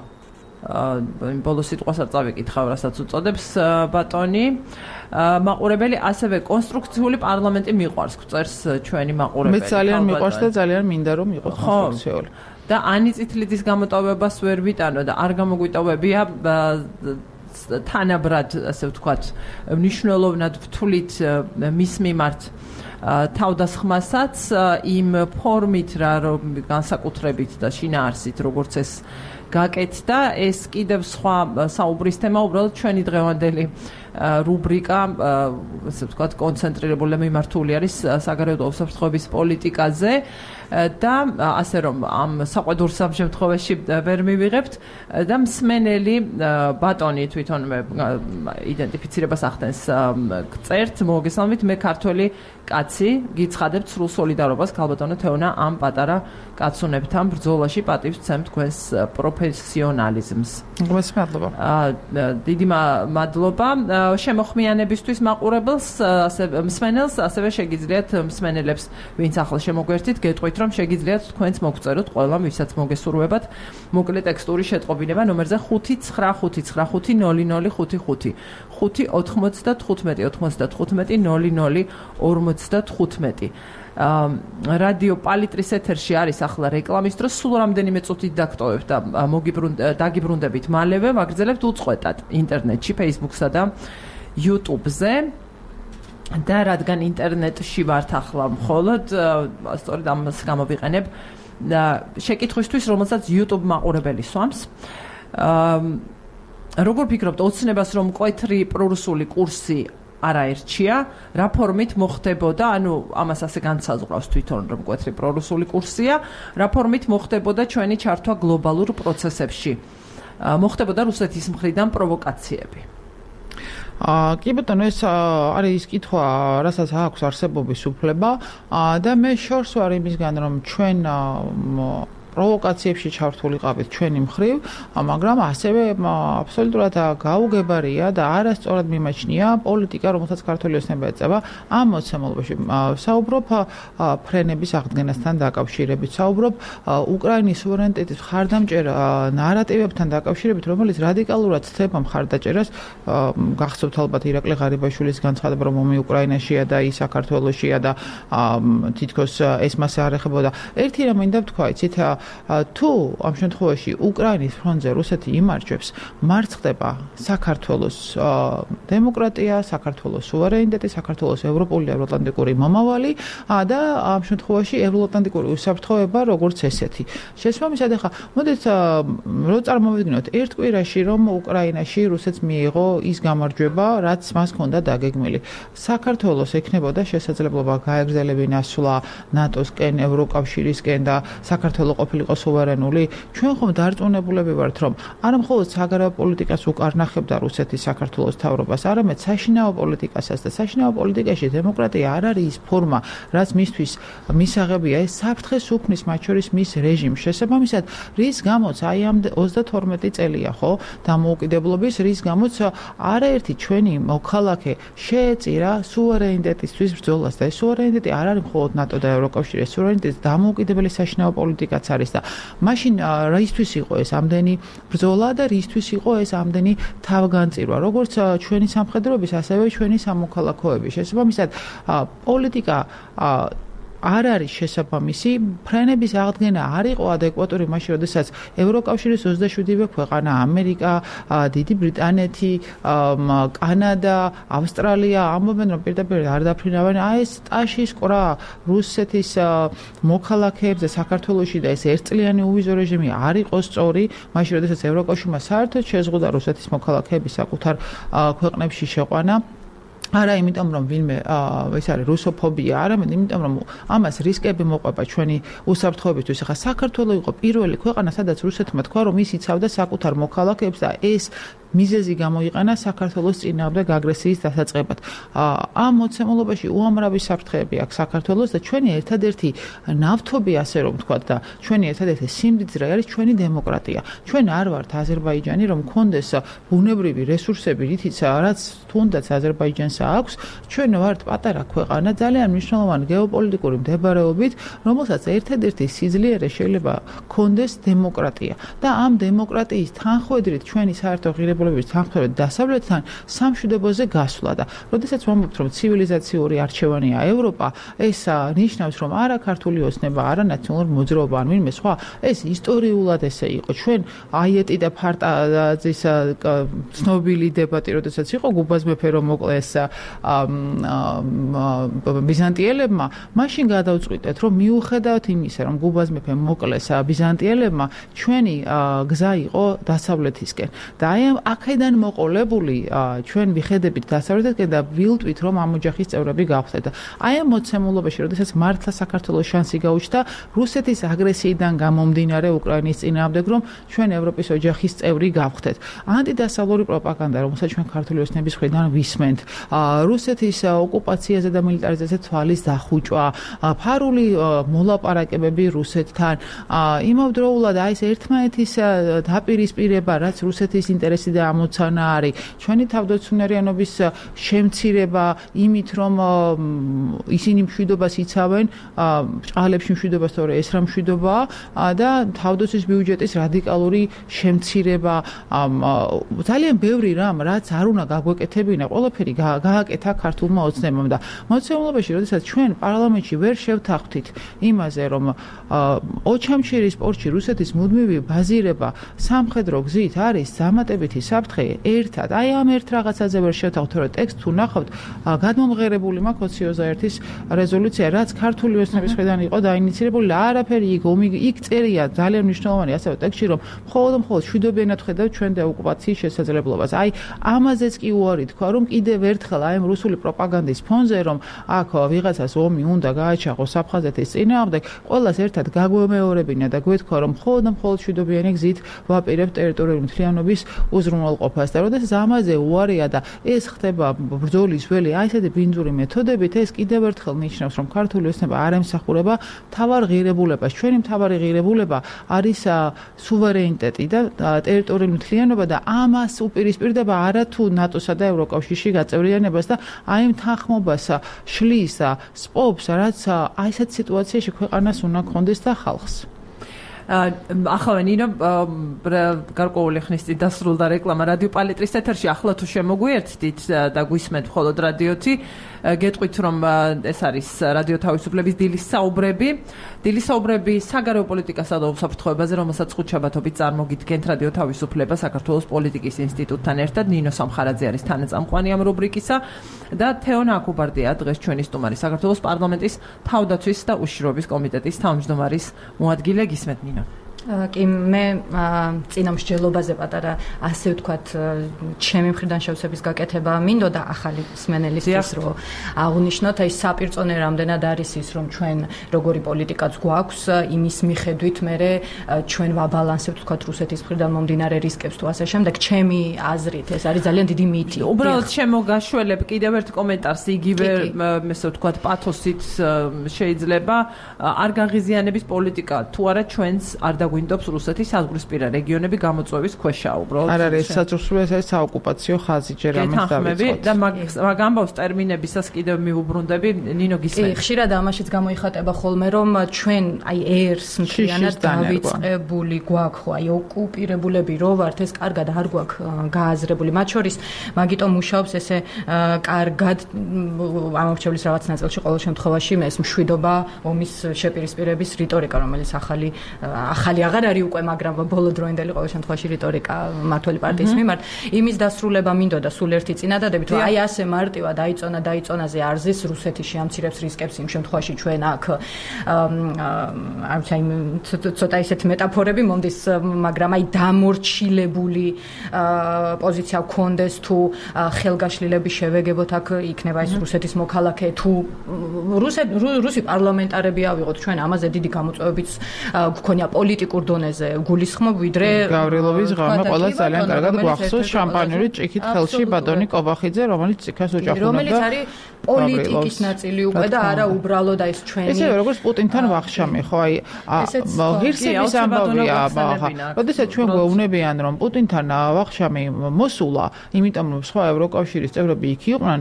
ბოლო სიტყვას არ წავიკითხავ, რასაც უწოდებს ბატონი. მაყურებელი ასევე კონსტრუქციული პარლამენტი მიყვარს, წერს ჩვენი მაყურებელი. მე ძალიან მიყვარს და ძალიან მინდა რომ იყოს კონსტრუქციული. და ანი წითლიდის გამოტოვებას ვერ ვიტანო და არ გამოგვიტოვებია თანაბრად, ასე ვთქვათ, მნიშვნელოვნად ვთვლით მის მიმართ თავდასხმასაც იმ ფორმით, რომ განსაკუთრებით და შინაარსით, როგორც ეს გაკეთდა, ეს კიდევ სხვა საუბრის თემა, უბრალოდ ჩვენი დღევანდელი რუბრიკა, ასე ვთქვათ, კონცენტრირებული და მიმართული არის საგარეო უსაფრთხოების პოლიტიკაზე და ასე რომ ამ საყვედურ სამშემთხვევაში ვერ მივიღებთ და მსმენელი ბატონი თვითონვე იდენტიფიცირებას ახდენს, წერთ, მოგესალმებით, მე ქართველი კაცი, გიცხადებთ სრულ სოლიდარობას ქალბატონო თეონა ამ პატარა კაცუნებთან ბრძოლაში, პატივს ვცემ თქვენს პროფილს პროფესიონალიზმს. მადლობა. დიდი მადლობა შემოხმიანებისთვის მაყურებელს, მსმენელს, ასევე შეგიძლიათ მსმენელებს, ვინც ახლა შემოგვერთით, გეტყვით, რომ შეგიძლიათ თქვენც მოგწეროთ ყველამ, ვისაც მოგესურვებათ, მოკლე ტექსტური შეტყობინება ნომერზე 595500555 595-95-00-55. რადიო პალიტრის ეთერში არის ახლა რეკლამის დროს, სულ რამდენიმე წუთით დაგტოვებთ და დაგიბრუნდებით მალევე, ვაგრძელებთ უწყვეტად ინტერნეტში, Facebook-სა და YouTube-ზე. და რადგან ინტერნეტში ვართ ახლა მხოლოდ, სწორედ ამას გამოვიყენებ შეკითხვისთვის, რომელსაც YouTube მაყურებელი სვამს. როგორ ფიქრობთ, ოცნებას რომ მკვეთრი პრორუსული კურსი არაერჩია, რა ფორმით მოხდებოდა, ანუ ამას ასე განსაზღვრავს თვითონ, რომ მკვეთრი პრორუსული კურსია, რა ფორმით მოხდებოდა ჩვენი ჩართვა გლობალურ პროცესებში? მოხდებოდა რუსეთის მხრიდან პროვოკაციები? კი ბატონო, ეს არის კითხვა, რასაც აქვს არსებობის უფლება და მე შორს ვარ იმისგან, რომ ჩვენ პროვოკაციებში ჩართულიყავით ჩვენი მხრივ, მაგრამ ასევე აბსოლუტურად გაუგებარია და არასწორად მიმაჩნია პოლიტიკა, რომელსაც ქართული ოცნება ეწევა ამ მოცემულობაში. საუბრობ ფრენების აღდგენასთან დაკავშირებით, საუბრობ უკრაინის სუვერენიტეტის მხარდამჭერ ნარატივებთან დაკავშირებით, რომელიც რადიკალურად ცდება მხარდაჭერას. გახსოვთ ალბათ ირაკლი ღარიბაშვილის განცხადება, რომ ომი უკრაინაშია და ის საქართველოშია და თითქოს ეს მასე არ ეხებოდა. ერთი რამ მინდა ვთქვა, იცით, თუ ამ შემთხვევაში უკრაინის ფრონტზე რუსეთი იმარჯვებს, მარცხდება საქართველოს დემოკრატია, საქართველოს სუვერენიტეტი, საქართველოს ევროპული და ევროატლანტიკური მომავალი და ამ შემთხვევაში ევროატლანტიკური უსაფრთხოება როგორც ესეთი. შესაბამისად, ახლა მოდით რო წარმოვიდგინოთ ერთ კვირაში, რომ უკრაინაში რუსეთს მიიღო ის გამარჯვება, რაც მას ჰქონდა დაგეგმილი. საქართველოს ექნებოდა შესაძლებლობა გაეგრძელებინა სვლა ნატოსკენ, ევროკავშირისკენ და საქართველოს ყოფილიყო სუვერენული. ჩვენ ხომ დარწმუნებულები ვართ, რომ არა მხოლოდ საგარეო პოლიტიკას უკარნახებდა რუსეთი საქართველოს მთავრობას, არამედ საშინაო პოლიტიკასაც და საშინაო პოლიტიკაში დემოკრატია არ არის ის ფორმა, რაც მისთვის მისაღებია, ეს საფრთხეს უქმნის მათ შორის მის რეჟიმს. შესაბამისად, რის გამოც აი ამ 32 წელია, ხო, დამოუკიდებლობის, რის გამოც არაერთი ჩვენი მოქალაქე შეეწირა სუვერენიტეტისთვის ბრძოლას და ეს სუვერენიტეტი არ არის მხოლოდ ნატო და ევროკავშირის სუვერენიტეტი, დამოუკიდებელი საშინაო პოლიტიკაც არის და მაშინ რისთვის იყო ეს ამდენი ბრძოლა და რისთვის იყო ეს ამდენი თავგანწირვა, როგორც ჩვენი სამხედროების, ასევე ჩვენი სამოქალაქოების. შესაბამისად, პოლიტიკა არ არის შესაბამისი, ფრენების აღდგენა არ იყო ადეკვატური მაშინ, როდესაც ევროკავშირის 27-ვე ქვეყანა, ამერიკა, დიდი ბრიტანეთი, კანადა, ავსტრალია ამბობენ, რომ პირდაპირ არ დაფრინავენ ეს ტაშის ყრა რუსეთის მოქალაქეებზე საქართველოში და ეს ერთწლიანი უვიზო რეჟიმი არ იყო სწორი, მაშინ, როდესაც ევროკავშირმა საერთოდ შეზღუდა რუსეთის მოქალაქეების საკუთარ ქვეყნებში შეყვანა. არა იმიტომ, რომ ვინმე ეს არის რუსოფობია, არამედ იმიტომ, რომ ამას რისკები მოყვება ჩვენი უსაფრთხოებისთვის. ახლა საქართველო იყო პირველი ქვეყანა, სადაც რუსეთმა თქვა, რომ ის იცავდა საკუთარ მოქალაქეებს და ეს მიზეზი გამოიყენა საქართველოს წინააღმდეგ აგრესიის დასაწყებად. ამ მოცემულობაში უამრავი საფრთხეები აქვს საქართველოს და ჩვენი ერთადერთი ნავთობი, ასე რომ ვთქვათ, და ჩვენი ერთადერთი სიმდიდრე არის ჩვენი დემოკრატია. ჩვენ არ ვართ აზერბაიჯანი, რომ გქონდეს ბუნებრივი რესურსები, რითიც რაც თუნდაც აზერბაიჯანს აქვს, ჩვენ ვართ პატარა ქვეყანა, ძალიან მნიშვნელოვანი გეოპოლიტიკური მდებარეობით, რომელსაც ერთადერთი სიძლიერე შეიძლება გქონდეს დემოკრატია და ამ დემოკრატიის თანხმედრით ჩვენი საერთო ღირებულების თანხმდებით დასავლეთთან სამშვიდობოზე გასვლა და როდესაც ვამბობთ, რომ ცივილიზაციური არჩევანია ევროპა, ეს ნიშნავს, რომ არა ქართული ოცნება, არა ნაციონალური მოძრაობა, ან ვინმე სხვა, ეს ისტორიულად ესე იყო. ჩვენ აიეტი და ფარტაზის ცნობილი დებატი, როდესაც იყო გუბაზ მეფე რომ მოკლეს ბიზანტიელებმა, მაშინ გადავწყვიტეთ, რომ მიუხედავად იმისა, რომ გუბაზ მეფე მოკლეს ბიზანტიელებმა, ჩვენი გზა იყო დასავლეთისკენ. და აქედან მოყოლებული ჩვენ ვიხედებით დასავლეთისკენ და ვილტვით რომ ამ ოჯახის წევრები გავხდეთ. აი ამ მოცემულობაში, როდესაც მართლა საქართველოს შანსი გაუჩნდა რუსეთის აგრესიიდან გამომდინარე უკრაინის წინააღმდეგ, რომ ჩვენ ევროპის ოჯახის წევრი გავხდეთ. ანტიდასავლური პროპაგანდა, რომელსაც ჩვენ ქართული ოცნების მხრიდან ვისმენთ, რუსეთის ოკუპაციაზე და მილიტარიზაციაზე თვალის დახუჭვა, ფარული მოლაპარაკებები რუსეთთან, იმავდროულად აი ეს ერთმანეთის დაპირისპირება, რაც რუსეთის ინტერესი და ამოცანა არის, ჩვენი თავდაცუნარიანობის შემცირება იმით, რომ ისინი მშვიდობას იცავენ, ჭყალებში მშვიდობას, თორე ეს რა მშვიდობაა და თავდაცვის ბიუჯეტის რადიკალური შემცირება, ძალიან ბევრი რამ, რაც არ უნდა გაგვეკეთებინა, ყველაფერი გააკეთა ქართულმა ოცნებამ და მოცემულობაში, როდესაც ჩვენ პარლამენტში ვერ შევთანხმდით იმაზე, რომ ოჩამჩირის პორტში რუსეთის მუდმივი ბაზირება სამხედრო გზით არის დამატებითი საფრთხე ერთად. აი ამ ერთ რაღაცაზე ვერ შევთანხმდით, რომ ტექსტ თუ ნახავთ, გადმომღერებული მაქვს 21-ის რეზოლუცია, რაც ქართული ოცნების მხრიდან იყო დაინიცირებული, არაფერი იქ წერია ძალიან მნიშვნელოვანი ასევე ტექსტში, რომ მხოლოდ მშვიდობიანად ხედავთ ჩვენ დეოკუპაციის შესაძლებლობას. აი ამაზეც კი უარი თქვა, რომ კიდევ ერთხელ აი ამ რუსული პროპაგანდის ფონზე, რომ აქ ვიღაცას ომი უნდა გააჩაღოს აფხაზეთის წინააღმდეგ, ყველას ერთად გაგვემეორებინა და გვეთქვა, რომ მხოლოდ მშვიდობიანი გზით ვაპირებთ ტერიტორიული მთლიანობის უზრუნველყოფას და როდესაც ამაზე უარია და ეს ხდება ბრძოლის ველი აი ესეთი ბინძური მეთოდებით, ეს კიდევ ერთხელ ნიშნავს, რომ ქართული ოცნება არ ემსახურება მთავარ ღირებულებას. ჩვენი მთავარი ღირებულება არის სუვერენიტეტი და ტერიტორიული მთლიანობა და ამას უპირისპირდება არა თუ ნატოსა და ევროკავშირში გაწევრიანებას და აი ამ თანხმობას შლის სპობს, რაც აი ესეთ სიტუაციაში ქვეყანას უნდა გქონდეს და ხალხს. ახლა ნინო გარკვეული ხნის წინ დასრულდა რეკლამა რადიო პალიტრის ეთერში, ახლა თუ შემოგვიერთდით და გვისმენთ მხოლოდ რადიოთი, გეტყვით რომ ეს არის რადიო თავისუფლების დილის საუბრები საგარეო პოლიტიკასა და უსაფრთხოებაზე, რომელსაც ხუთშაბათობით წარმოგიდგენთ რადიო თავისუფლება საქართველოს პოლიტიკის ინსტიტუტთან ერთად. ნინო სამხარაძე არის თანაწამყვანი ამ რუბრიკისა და თეონა აკუბარდია დღეს ჩვენი სტუმარი, საქართველოს პარლამენტის თავდაცვის და უშიშროების კომიტეტის თავმჯდომარის მოადგილე. გისმენთ ნინო. კი მე წინა მსჯელობაზე პატარა ასე ვთქვათ ჩემი მხრიდან შევსების გაკეთება მინდოდა ახალი მსმენელისთვის რომ აღნიშნოთ აი საპირწონე რამდენად არის ის რომ ჩვენ როგორი პოლიტიკაც გვაქვს იმის მიხედვით მე ჩვენ ვაბალანსებთ ვთქვათ რუსეთის მხრიდან მომდინარე რისკებს თუ ასე შემდეგ ჩემი აზრით ეს არის ძალიან დიდი მითი. უბრალოდ შემოგაშველებ კიდევ ერთ კომენტარს იგივე ესე ვთქვათ პათოსით შეიძლება არ გაღიზიანების პოლიტიკა თუ არა ჩვენს არ გვინდობს რუსეთის საზღვრისპირა რეგიონები გამოწვევის ქვეშა უბრალოდ. არ არის საზღვრისპირა, ეს საოკუპაციო ხაზი ჯერ ამას დავიწყოთ. და მაგ ამბავს ტერმინებისას კიდევ მიუბრუნდები, ნინო გისმენთ. ხშირად ამაშიც გამოიხატება ხოლმე რომ ჩვენ აი ერს მთლიანად დავიწყებული გვაქვს ხო აი ოკუპირებულები რო ვართ ეს კარგად არ გვაქვს გააზრებული. მათ შორის მაგიტომ მუშაობს ესე კარგად ამორჩევლის რაღაც ნაწილში ყოველ შემთხვევაში ეს მშვიდობა ომის შეპირისპირების რიტორიკა რომელიც ახალი აღარ არის უკვე, მაგრამ ბოლო დროინდელი ყოველ შემთხვევაში რიტორიკა მმართველი პარტიის მიმართ. იმის დასრულება მინდოდა სულ ერთი წინადადებით, რომ აი ასე მარტივად დაიწონაზე არზის რუსეთი შეამცირებს რისკებს იმ შემთხვევაში ჩვენ აქ აი ცოტა ისეთ მეტაფორები მომდის, მაგრამ აი დამორჩილებული პოზიცია გქონდეს თუ ხელგაშლილების შევეგებოთ აქ იქნება ეს რუსეთის მოქალაქე თუ რუსი პარლამენტარები ავიღოთ ჩვენ ამაზე დიდი გამოწვევებიც გქონია პოლიტიკურ დონეზე გულისხმობ ვიდრე გავრილოვის ღამე ყველას ძალიან კარგად გვახსოვს შამპანიური ჭიქით ხელში ბატონი კობახიძე რომელიც ციხეს ოჯახუნობდა რომელიც არის პოლიტიკის ნაწილი უკვე და არა უბრალოდ ეს ჩვენი ესე როგორც პუტინთან ვახშამი ხო აი ღირსების ამბავია როდესაც ჩვენ გვეუბნებიან რომ პუტინთან ვახშამი მოსულა იმიტომ რომ სხვა ევროკავშირის წევრები იქ იყვნენ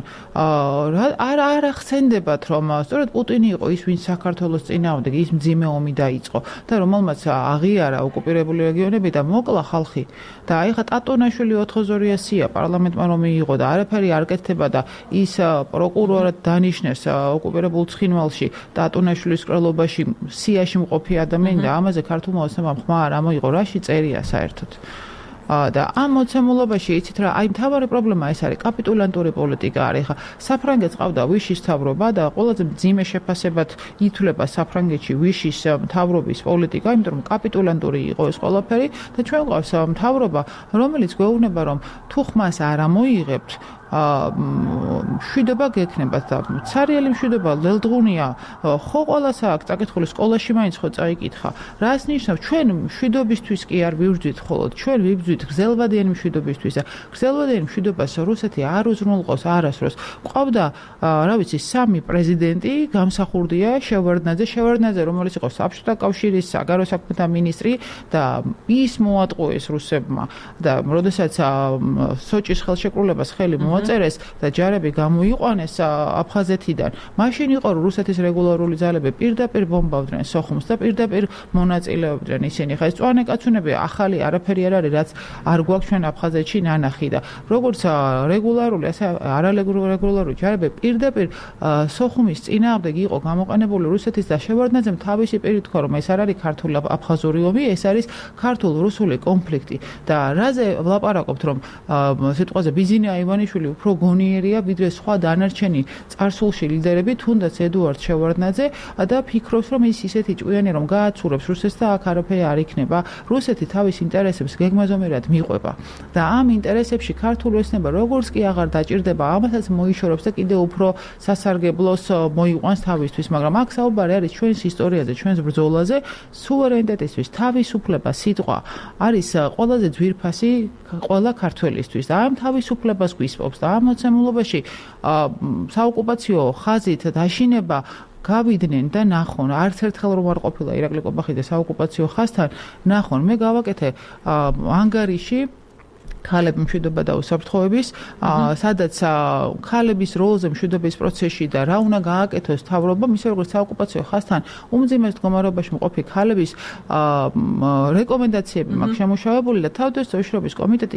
არ ახსენდებათ რომ სწორედ პუტინი იყო ის ვინც საქართველოს წინააღმდეგ ის მძიმე ომი დაიწყო და რომელმაც აღიარა ოკუპირებული რეგიონები და მოკლა ხალხი და აი ხა ტატონაშვილი 4-2-სია პარლამენტმა რომ მიიღო და არაფერი არ კეთდება და ის პროკურორად დანიშნეს ოკუპირებულ ცხინვალში ტატონაშვილის კრელობაში სიაში მყოფი ადამიანი და ამაზე ქართულმა ოცნებამ ხმა არ ამოიღო რაში წერია საერთოდ და ამ მოცემულობაში იცით რა, აი მთავარი პრობლემა ეს არის კაპიტულანტური პოლიტიკა არის. ხა საფრანგეთს ყავდა ვიშის მთავრობა და ყველაზე მძიმე შეფასებად ითვლება საფრანგეთში ვიშის მთავრობის პოლიტიკა, იმიტომ რომ კაპიტულანტური იყო ეს ყველაფერი და ჩვენ გვყავს მთავრობა, რომელიც გვეუბნება რომ თუ ხმას არ ამოიღებთ მშვიდობა გექნებათ და ცარიელი მშვიდობა ლელდღუნია ხო ყველას აქვს წაკითხული სკოლაში მაინც ხო წაიკითხა რას ნიშნავს ჩვენ მშვიდობისთვის კი არ ვიბრძვით ხოლოდ ჩვენ ვიბრძვით გრძელვადიანი მშვიდობისთვის და გრძელვადიანი მშვიდობას რუსეთი არ უზრუნველყავს არასდროს ყავდა რა ვიცი სამი პრეზიდენტი გამსახურდია შევარდნაძე რომელიც იყო საბჭოთა კავშირის საგარეო საქმეთა მინისტრი და ის მოატყუეს რუსებმა და როდესაც სოჭის ხელშეკრულებას ხელი წერეს და ჯარები გამოიყვანეს აფხაზეთიდან. მაშინ იყო რომ რუსეთის რეგულარული ძალები პირდაპირ ბომბავდნენ სოხუმს და პირდაპირ მონაწილეობდნენ ისინი. ხა ეს წვანე კაცუნები ახალი არაფერი არ არის, რაც არ გვაქვს ჩვენ აფხაზეთში ნანახი და როგორც რეგულარული, ასე არარეგულარული ჯარები პირდაპირ სოხუმის წინააღმდეგ იყო გამოყენებული რუსეთის და შევარდნაძემ თავისი პირით თქვა რომ ეს არ არის ქართული აფხაზური ომი, ეს არის ქართულ-რუსული კონფლიქტი და რაზე ვლაპარაკობთ რომ სიტყვაზე ბიზინა ივანიშვილი უფრო გონიერია ვიდრე სხვა დანარჩენი წარსულში ლიდერები, თუნდაც ედუარდ შევარდნაძე და ფიქრობს რომ ის ისეთი ჭკვიანი რომ გააცურებს რუსეთს და აქ არაფერი არ იქნება. რუსეთი თავის ინტერესებს გეგმაზომერად მიყვება და ამ ინტერესებში ქართული ოცნება როგორც კი აღარ დაჭირდება, ამასაც მოიშორებს და კიდევ უფრო სასარგებლოს მოიყვანს თავისთვის, მაგრამ აქ საუბარი არის ჩვენს ისტორიაზე, ჩვენს ბრძოლაზე, სუვერენიტეტისთვის თავისუფლება სიტყვა არის ყველაზე ძვირფასი ყველა ქართველისთვის და ამ თავისუფლებას გვისპობს და ამ მოცემულობაში საოკუპაციო ხაზით დაშინება გავიდნენ და ნახონ, არც ერთხელ რომ არ ყოფილა ირაკლი კობახიძე საოკუპაციო ხაზთან, ნახონ, მე გავაკეთე ანგარიში ქალების მშვიდობა და უსაფრთხოების, სადაც ქალების როლზე მშვიდობის პროცესში და რა უნდა გააკეთოს მთავრობამ, ისე როგორც საოკუპაციო ხაზთან უმძიმეს მდგომარეობაში მყოფი ქალების რეკომენდაციები მაქვს შემუშავებული და თავდაცვის შრომის კომიტეტი,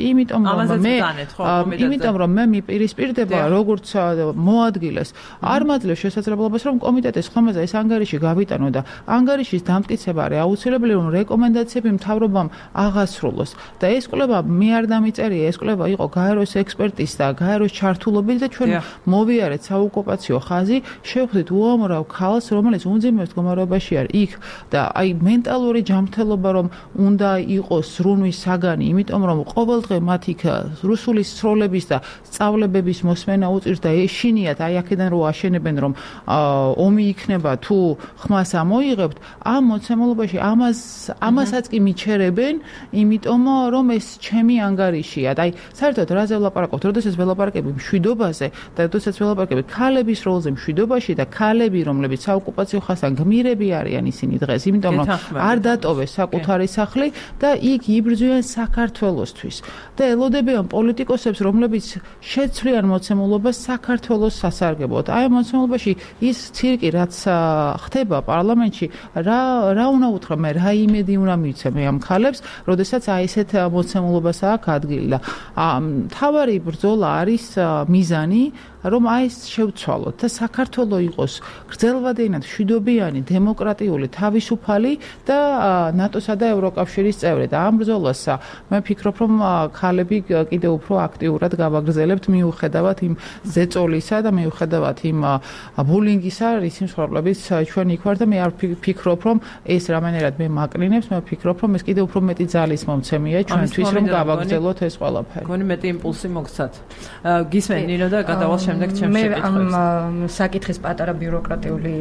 იმიტომ რომ მე მიპირისპირდება როგორც მოადგილეს, არ მაძლევს შესაძლებლობას რომ კომიტეტის ხომაზე ეს ანგარიში გავიტანო და ანგარიშის დამტკიცება არის აუცილებელი რომ რეკომენდაციები მთავრობამ აღასრულოს და ეს კვლევა მე არ წერია ეს კვლევა იყო გაეროს ექსპერტის და გაეროს ჩართულობით და ჩვენ მოვიარეთ საოკუპაციო ხაზი, შევხვდით უამრავ ქალს, რომელიც უმძიმეს მდგომარეობაში არის იქ და აი მენტალური ჯანმრთელობა რომ უნდა იყოს ზრუნვის საგანი, იმიტომ რომ ყოველდღე მათ იქ რუსული სროლების და სწავლებების მოსმენა უწირს და ეშინიათ აი აქედან რო აშენებენ რომ ომი იქნება თუ ხმას ამოიღებთ, ამ მოცემულობაში ამასაც კი მიჩერებენ, იმიტომ რომ ეს ჩემი ანგარიშია. აი, საერთოდ რაზე ვლაპარაკობთ? როდესაც ველაპარაკები მშვიდობაზე და როდესაც ველაპარაკები ქალების როლზე მშვიდობაში და ქალები, რომლებიც საოკუპაციო ხაზთან გმირები არიან ისინი დღეს, იმიტომ რომ არ დატოვეს საკუთარი სახლი და იქ იბრძვიან საქართველოსთვის და ელოდებიან პოლიტიკოსებს, რომლებიც შეცვლიან მოცემულობას საქართველოს სასარგებლოდ. აი, მოცემულობაში ის ცირკი, რაც ხდება პარლამენტში, რა უნდა უთხრა მე, რა იმედი უნდა მივცე მე ამ ქალებს, როდესაც აი ესეთ მოცემულობას აქვს ადგილი და მთავარი ბრძოლა არის მიზანი რომ აი ეს შევცვალოთ და საქართველო იყოს გრძელვადიანი, მშვიდობიანი, დემოკრატიული, თავისუფალი და ნატოსა და ევროკავშირის წევრი და ამ ბრძოლას მე ვფიქრობ რომ ქალები კიდევ უფრო აქტიურად გავაგრძელებთ მიუხედავად იმ ზეწოლისა და მიუხედავად იმ ბულინგისა, რის მსხვერპლების ჩვენ იქ ვარ და მე არ ვფიქრობ რომ ეს რამენერად მე მაკრინებს, მე ვფიქრობ რომ ეს კიდევ უფრო მეტი ძალის მომცემია ჩვენთვის რომ გავაგრძელოთ ეს ყველაფერი. გონი მეტი იმპულსი მოგცათ. გისმენ ნინო და გადავალ შემდეგ ჩემს შეკითხვებს. მე ამ საკითხის პატარა ბიუროკრატიული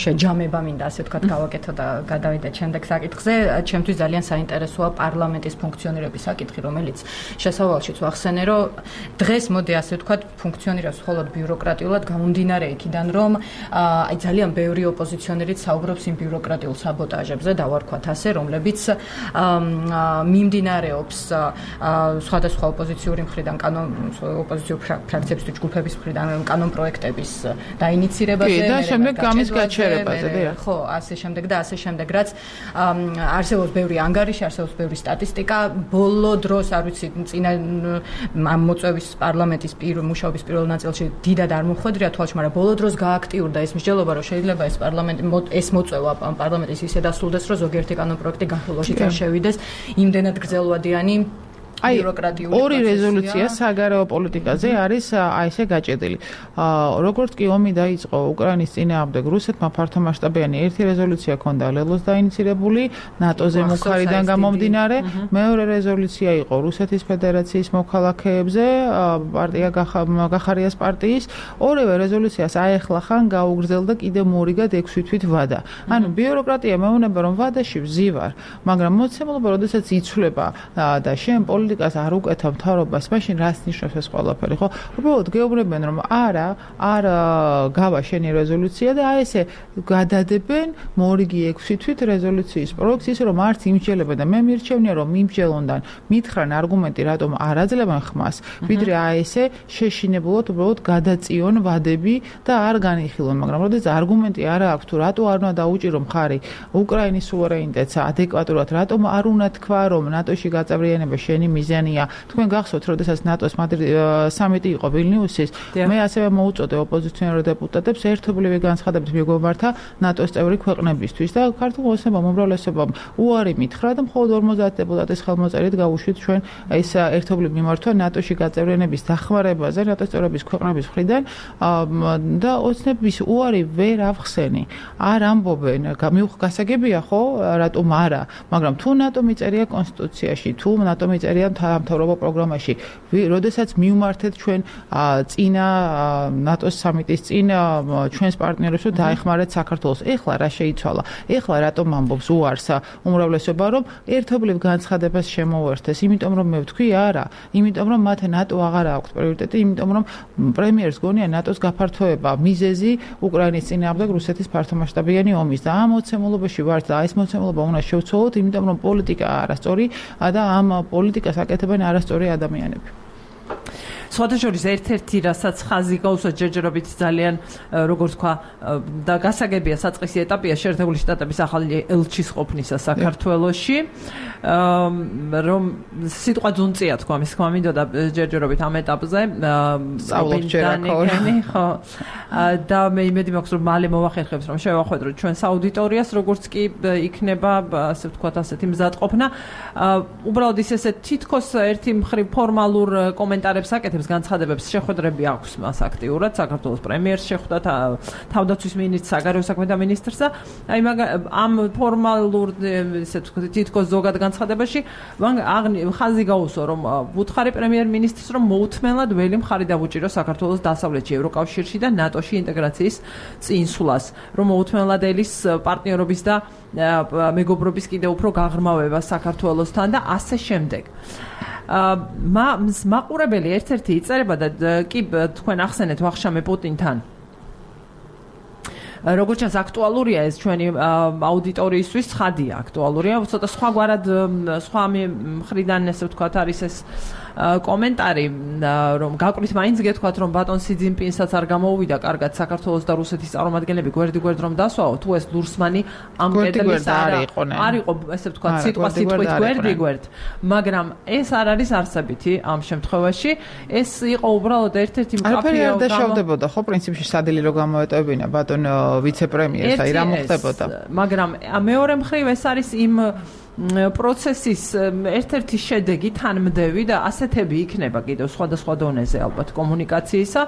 შეჯამება მინდა ასე ვთქვათ გავაკეთო და გადავიდე შემდეგ საკითხზე. ჩემთვის ძალიან საინტერესოა პარლამენტის ფუნქციონირების საკითხი, რომელიც შესავალშიც ვახსენე, რომ დღეს მოდი ასე ვთქვათ ფუნქციონირებს მხოლოდ ბიუროკრატიულად გამომდინარე იქიდან, რომ აი ძალიან ბევრი ოპოზიციონერი საუბრობს იმ ბიუროკრატიულ საბოტაჟებზე, დავარქვათ ასე, რომლებიც მიმდინარეობს სხვადასხვა ოპოზიციური მხრიდან, ოპოზიციური ფრაქციების ჯგუფების მხრიდან კანონ პროექტების დაინიცირებაზე და შემდეგ გამის გაჩერებაზე, ხო, ასე შემდეგ და ასე შემდეგ, რაც არსებობს ბევრი ანგარიში, არსებობს ბევრი სტატისტიკა, ბოლო დროს არ ვიცი, წინა ამ მოწვევის პარლამენტის მუშაობის პირველ ნაწილში დიდად არ მოხვედრია თვალში, მაგრამ ბოლო დროს გააქტიურდა ეს მსჯელობა, რომ შეიძლება ეს პარლამენტი ეს მოწვევა პარლამენტის ისე დასრულდეს, რომ ზოგიერთი კანონ პროექტი განხილვაში წარ შევიდეს, იმდენად გრძელვადიანი ბიუროკრატიული ორი რეზოლუცია საგარეო პოლიტიკაზე არის ესე გაჭედილი. როგორც კი ომი დაიწყო უკრაინის წინააღმდეგ რუსეთმა ფართომასშტაბიანი ერთი რეზოლუცია ჰქონდა ლელოს დაინიცირებული ნატოზე მუხარიდან გამომდინარე, მეორე რეზოლუცია იყო რუსეთის ფედერაციის მოქალაქეებზე, პარტია გახარიას პარტიის, ორივე რეზოლუციას აეხლახან გაუგრძელდა კიდევ მორიგად 6 თვით ვადა. ანუ ბიუროკრატია მეუბნება რომ ვადაში ვზივარ, მაგრამ მოცემულობა როდესაც იცვლება და შენ პოლიტიკას არ უკეთავ მთავრობას, მაშინ რას ნიშნავს ეს ყველაფერი, ხო? უბრალოდ გეუბნებიან რომ არ გავა შენი რეზოლუცია და აი ესე გადადებენ მორიგი 6 თვით რეზოლუციის პროექტს, ის რომ არც იმსჯელებენ და მე მირჩევნია რომ იმსჯელონდან მითხრან არგუმენტი რატომ არ აძლევენ ხმას, ვიდრე აი ესე შეშინებულად უბრალოდ გადაწიონ ვადები და არ განიხილონ, მაგრამ როდესაც არგუმენტი არ აქვს თუ რატო არ უნდა დაუჭირო მხარი უკრაინის სუვერენიტეტს ადეკვატურად, რატომ არ უნდა თქვა რომ ნატოში გაწევრიანება შენი მიზანია. თქვენ გახსოვთ, როდესაც ნატოს სამიტი იყო ვილნიუსის, მე ასევე მოუწოდე ოპოზიციონერ დეპუტატებს ერთობლივი განცხადებით მიგვემართა ნატოს წევრი ქვეყნებისთვის და ქართულ ოცნებამ უმრავლესობამ უარი მითხრა და მხოლოდ 50 დეპუტატის ხელმოწერით გავუშვით ჩვენ ეს ერთობლივ მიმართვა ნატოში გაწევრიანების დახმარებაზე ნატოს წევრების ქვეყნების მხრიდან და ოცნების უარი ვერ ავხსენი. არ ამბობენ, გასაგებია ხო, რატომ არა, მაგრამ თუ ნატო მიწერია კონსტიტუციაში, თუ ნატო მიწერია მთავრობა პროგრამაში, როდესაც მივმართეთ ჩვენ წინა ნატოს სამიტის წინ ჩვენს პარტნიორებს რომ დაეხმარეთ საქართველოს. ეხლა რა შეიცვალა? ეხლა რატომ ამბობს უარს უმრავლესობა რომ ერთობლივ განცხადებას შემოუერთეს, იმიტომ რომ მე ვთქვი არა, იმიტომ რომ მათ ნატო აღარ აქვს პრიორიტეტი, იმიტომ რომ პრემიერს გონია ნატოს გაფართოება მიზეზი უკრაინის წინააღმდეგ რუსეთის ფართომასშტაბიანი ომის და ამ მოცემულობაში ვართ და ეს მოცემულობა უნდა შევცვალოთ, იმიტომ რომ პოლიტიკა არასწორი და ამ პოლიტიკას აკეთებენ არასწორი ადამიანები. სხვადასხვა ერთ-ერთი რასაც ხაზი გაუსვა ჯერჯერობით ძალიან როგორც თქვა და გასაგებია საწყისი ეტაპია შეერთებული შტატების ახალი ელჩის ყოფნისა საქართველოში რომ სიტყვა ძუნწია თქვა მის თქმა მინდოდა ჯერჯერობით ამ ეტაპზე ხო და მე იმედი მაქვს რომ მალე მოვახერხებს რომ შევახვედროთ ჩვენს აუდიტორიას როგორც კი იქნება ასე ვთქვათ ასეთი მზადყოფნა უბრალოდ ის ესე თითქოს ერთი მხრივ ფორმალურ კომენტარებს აკეთებს განცხადებებს შეხვედრები აქვს მას აქტიურად საქართველოს პრემიერს შეხვდა თავდაცვის მინისტრს საგარეო საქმეთა მინისტრს და აი ამ ფორმალურ ესე ვთქვათ თითქოს ზოგად განცხადებაში ხაზი გაუსვა რომ ვუთხარი პრემიერ-მინისტრს რომ მოუთმენლად ველი მხარი დავუჭირო საქართველოს დასავლეთში ევროკავშირში და ნატოში ინტეგრაციის წინსვლას რომ მოუთმენლად ელის პარტნიორობის და მეგობრობის კიდევ უფრო გაღრმავება საქართველოსთან და ასე შემდეგ მაყურებელი ერთ-ერთი იწერება და კი თქვენ ახსენეთ ვახშამი პუტინთან როგორც ჩანს აქტუალურია ეს ჩვენი აუდიტორიისთვის ცხადია აქტუალურია ცოტა სხვაგვარად სხვა მხრიდან ესე ვთქვათ არის ეს კომენტარი რომ გაკვირთ მაინც გეთქვათ რომ ბატონ სი ძინპინსაც არ გამოუვიდა კარგად საქართველოს და რუსეთის წარმომადგენლები გვერდ რომ დასვაო თუ ეს ლურსმანი ამ კედლის არ იყო ესე ვთქვათ სიტყვით გვერდ მაგრამ ეს არ არის არსებითი ამ შემთხვევაში ეს იყო უბრალოდ ერთ-ერთი მკაფიო არ დაშავდებოდა ხო პრინციპში სადილი რო გამოეტოვებინა ბატონ ვიცე-პრემიერს აი რა მოხდებოდა მაგრამ მეორე მხრივ ეს არის იმ პროცესის ერთ-ერთი შედეგი თანმდევი და ასეთები იქნება კიდევ სხვადასხვა დონეზე ალბათ კომუნიკაციისა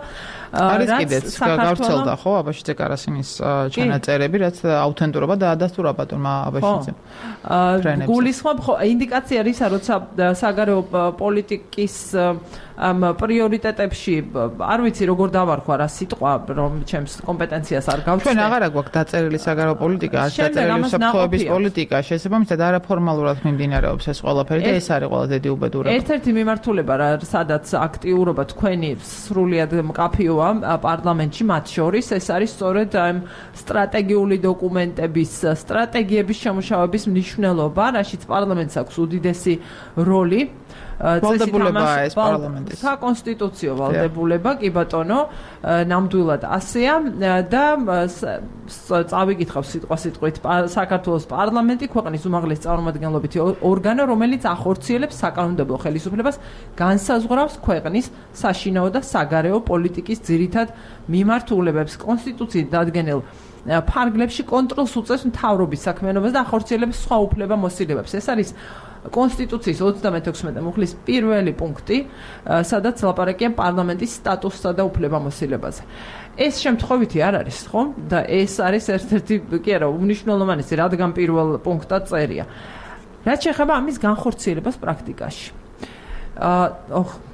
არის კიდეც გავრცელდა ხო აბაშიძე კარასინის ჩანაწერები რაც აუთენტურობა და ადასტურა ბატონმა აბაშიძემ გულისხმობ ხო ინდიკაცია რისა როცა საგარეო პოლიტიკის ამ პრიორიტეტებში არ ვიცი როგორ დავარქვა რა სიტყვა რომ ჩემს კომპეტენციას არ გავჩნდა ჩვენ აღარა გვაქვს დაწერილი საგარეო პოლიტიკა არ დაწერილი საფრთხეების პოლიტიკა შესაბამისად არაფორმალურად მიმდინარეობს ეს ყველაფერი და ეს არის ყველა დიდი უბედურება ერთ-ერთი მიმართულება რა სადაც აქტიურობა თქვენი სრულიად მკაფიოა პარლამენტში მათ შორის ეს არის სწორედ ამ სტრატეგიული დოკუმენტების სტრატეგიების შემუშავების მნიშვნელობა რაშიც პარლამენტს აქვს უდიდესი როლი ვალდებულებაა ეს პარლამენტის საკონსტიტუციო ვალდებულება კი ბატონო ნამდვილად ასეა და წავიკითხავ სიტყვით საქართველოს პარლამენტი ქვეყნის უმაღლესი წარმომადგენლობითი ორგანო რომელიც ახორციელებს საკანონმდებლო ხელისუფლებას განსაზღვრავს ქვეყნის საშინაო და საგარეო პოლიტიკის ძირითად მიმართულებებს კონსტიტუციით დადგენილ ფარგლებში კონტროლს უწევს მთავრობის საქმიანობას და ახორციელებს სხვა უფლება-მოსილებებს ეს არის კონსტიტუციის 36 მუხლის პირველი პუნქტი, სადაც ლაპარაკია პარლამენტის სტატუსსა და უფლებამოსილებაზე. ეს შემთხვევითი არ არის, ხო? და ეს არის ერთ-ერთი კი არა, უმნიშვნელოვანესი, რადგან პირველ პუნქტად წერია. რაც შეეხება ამის განხორციელებას პრაქტიკაში.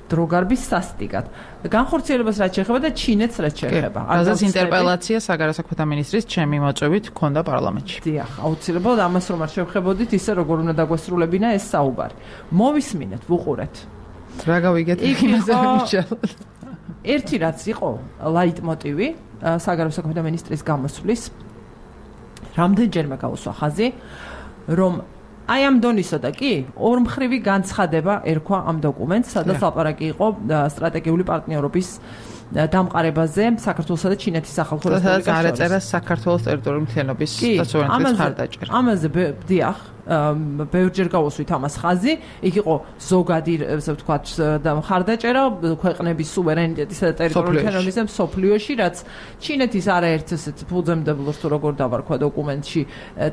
დროგარბის სასტიკად. განხორციელებას რაც შეეხება და ჩინეთს რაც შეეხება. რაზეც ინტერპელაცია საგარეო საქმეთა მინისტრის ჩემი მოწვევით ჰქონდა პარლამენტში. დიახ, აუცილებლად ამას რომ არ შევხედოთ ისე როგორ უნდა დაგვესრულებინა ეს საუბარი. მოვისმინეთ, ვუყურეთ. რა გავიგეთ იმაზე ვიმუშაოთ. ერთი რაც იყო ლაიტმოტივი საგარეო საქმეთა მინისტრის გამოსვლის რამდენჯერმე გაუსვა ხაზი რომ აი ამ დონისა და კი ორმხრივი განცხადება ერქვა ამ დოკუმენტს, სადაც ლაპარაკი იყო სტრატეგიული პარტნიორობის დამყარებაზე საქართველოსა და ჩინეთის სახალხო რესპუბლიკას შორის. სადაც არეწერა საქართველოს ტერიტორიული მთლიანობის და სუვერენიტეტის მხარდაჭერა. ამაზე დიახ, ბევრჯერ გავუსვით ამას ხაზი, იქ იყო ზოგადი, ესე ვთქვათ, და მხარდაჭერა ქვეყნების სუვერენიტეტისა და ტერიტორიული თანხმობის მსოფლიოში, რაც ჩინეთის არაერთ ესეთ ფუძემდებელს თუ როგორ დავარქვა დოკუმენტში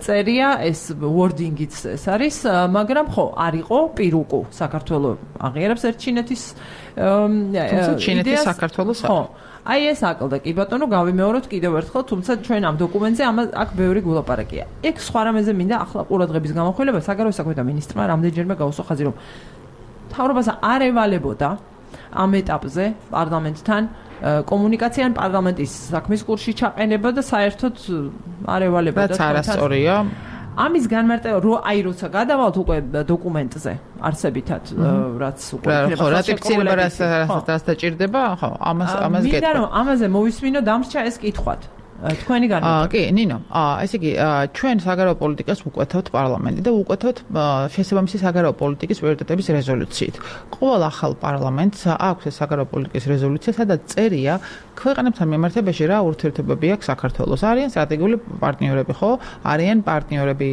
წერია, ეს wording-იც ეს არის, მაგრამ ხო, არ იყო პირუკუ საქართველოს აღიარებს ერთ ჩინეთის ჩინეთის საქართველოს ხო. აი ეს აკლდა კი ბატონო გავიმეოროთ კიდევ ერთხელ, თუმცა ჩვენ ამ დოკუმენტზე აქ ბევრი გულაპარაკია. ეგ სხვა რამეზე მინდა ახლა ყურადღების გამახვილება საგარეო საქმეთა მინისტრმა რამდენჯერმე გაუსვა ხაზი რომ მთავრობას არ ევალებოდა ამ ეტაპზე პარლამენტთან კომუნიკაცია ან პარლამენტის საქმის კურსში ჩაყენება და საერთოდ არ ევალებოდა. რაც არასწორია. ამის განმარტება როცა გადავალთ უკვე დოკუმენტზე არსებითად რაც უკვე ხო რატიფიცირება რაც დაჭირდება ხო ამას გეტყვი. მინდა რომ ამაზე მოვისმინო დამრჩა ეს კითხვად. თქვენი განმარტება. კი, ნინო, ესე იგი, ჩვენ საგარეო პოლიტიკას ვუკვეთავთ პარლამენტი და ვუკვეთავთ შესაბამისი საგარეო პოლიტიკის პრიორიტეტების რეზოლუციით. ყოველ ახალ პარლამენტს აქვს ეს საგარეო პოლიტიკის რეზოლუცია, სადაც წერია ქვეყნებთან მიმართებაში რა ურთიერთობები აქვს საქართველოს. არიან სტრატეგიული პარტნიორები, ხო? არიან პარტნიორები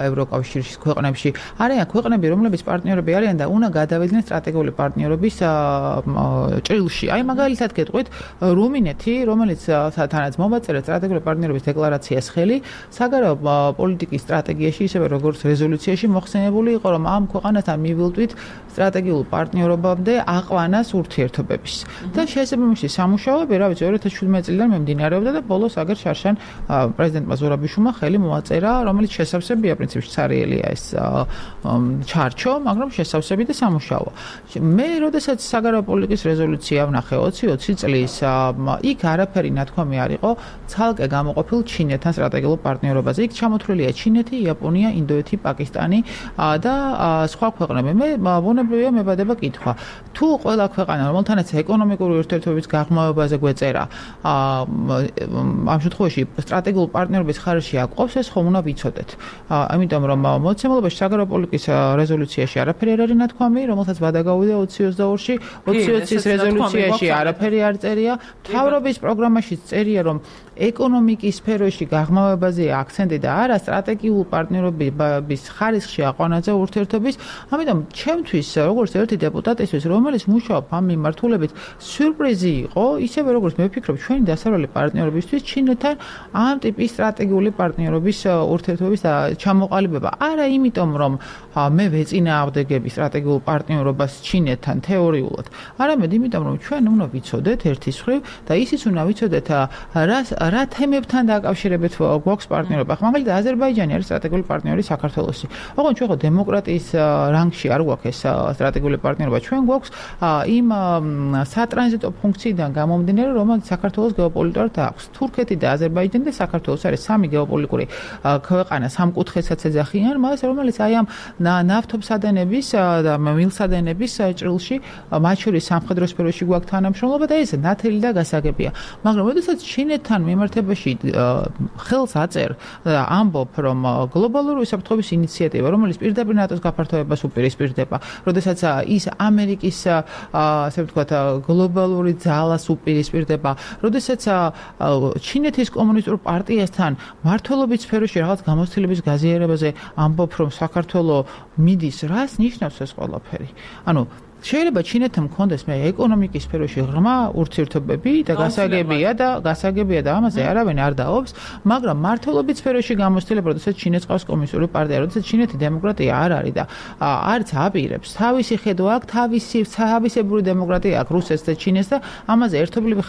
ევროკავშირის ქვეყნებში, არიან ქვეყნები, რომლებიც პარტნიორები არიან და უნდა გადავიდნენ სტრატეგიული პარტნიორობის ჭრილში. აი მაგალითად გეტყვით, რუმინეთი, რომელიც თანაც მომაწერეთ სტრატეგიული პარტნიორობის დეკლარაციას ხელი, საგარეო პოლიტიკის სტრატეგიაში, ისევე როგორც რეზოლუციაში მოხსენებული იყო, რომ ამ ქვეყანასთან მივილტვით სტრატეგიულ პარტნიორობამდე აყვანას ურთიერთობების. და შესაბამისი სამუშაოები, რა ვიცი, 2017 წლიდან მიმდინარეობდა და ბოლოს აგერ შარშან პრეზიდენტმა ზურაბიშვილმა ხელი მოაწერა, რომელიც შესავსებია პრინციპში ცარიელია ეს ჩარჩო, მაგრამ შესავსები და სამუშაოა. მე, როდესაც საგარეო პოლიტიკის რეზოლუცია ვნახე 2020 წლის, იქ არაფერი ნათქვამი არ იყო ცალკე გამოყოფილ ჩინეთთან სტრატეგიულ პარტნიორობაზე. იქ ჩამოთვლილია ჩინეთი, იაპონია, ინდოეთი, პაკისტანი და სხვა ქვეყნები. მე ბუნებრივია მებადება კითხვა. თუ ყველა ქვეყანა, რომელთანაც ეკონომიკური ურთიერთობების გაღრმავებაზე გვეწერა, ამ შემთხვევაში სტრატეგიულ პარტნიორობის ხარჯში აკვავს, ეს ხომ უნდა ვიცოდეთ. ამიტომ რომ მოცემულობაში საგარეო პოლიტიკის რეზოლუციაში არაფერი არ არის ნათქვამი, რომელსაც ვადაგავიდა 2022-ში, 2020-ის რეზოლუციაში არაფერი არ წერია. მთავრობის პროგრამაში წერია, რომ ეკონომიკის სფეროში გაღრმავებაზე აქცენტი და არა სტრატეგიულ პარტნიორობის ხარისხში აყვანაზე ურთიერთობის. ამიტომ ჩემთვის, როგორც ერთი დეპუტატისთვის, რომელიც მუშაობ ამ მიმართულებით, სიურპრიზი იყო, ისევე როგორც მე ვფიქრობ, ჩვენი დასავლელი პარტნიორებისთვის ჩინეთთან ამ ტიპის სტრატეგიული პარტნიორობის ურთიერთობის ჩამოყალიბება. არა იმიტომ, რომ მე ვეწინააღმდეგები სტრატეგიულ პარტნიორობას ჩინეთთან თეორიულად, არამედ იმიტომ, რომ ჩვენ უნდა ვიცოდეთ ერთის მხრივ და ისიც უნდა ვიცოდეთ, რა თემებთან დაკავშირებით გვაქვს პარტნიორობა. მაგალითად, აზერბაიჯანი არის სტრატეგიული პარტნიორი საქართველოსი. ოღონდ ჩვენ ხო დემოკრატიის რანგში არ გვაქვს ეს სტრატეგიული პარტნიორობა. ჩვენ გვაქვს იმ სატრანზიტო ფუნქციიდან გამომდინარე, რომელიც საქართველოს გეოპოლიტიკურად აქვს. თურქეთი და აზერბაიჯანი და საქართველოს არის სამი გეოპოლიტიკური ქვეყანა, სამკუთხედსაც ეძახიან მას, რომელიც აი ამ ნავთობსადენების და მილსადენების ჭრილში, მათ შორის სამხედრო სფეროში გვაქვს თანამშრომლობა და ეს ნათელი და გასაგებია. მაგრამ როდესაც ჩინეთთან მიმართებაში ხელს აწერ და ამბობ, რომ გლობალური უსაფრთხოების ინიციატივა, რომელიც პირდაპირ ნატოს გაფართოებას უპირისპირდება, როდესაც ის ამერიკის, ასე ვთქვათ, გლობალური ძალას უპირისპირდება, როდესაც ჩინეთის კომუნისტურ პარტიასთან მმართველობის სფეროში რაღაც გამოცდილების გაზიარებაზე ამბობ, რომ საქართველოს მიდის, რას ნიშნავს ეს ყველაფერი? ანუ შეიძლება ჩინეთთან მქონდეს მე ეკონომიკის სფეროში ღრმა ურთიერთობები და გასაგებია და ამაზე არავინ არ დაობს, მაგრამ მართლობის სფეროში გამოცდილება, როდესაც ჩინეთს ყავს კომუნისტური პარტია, როდესაც ჩინეთი დემოკრატია არ არის და არც აპირებს, თავისი ხედვა აქვს, თავისებური დემოკრატია აქვს რუსეთს და ჩინეთს და ამაზე ერთობლივი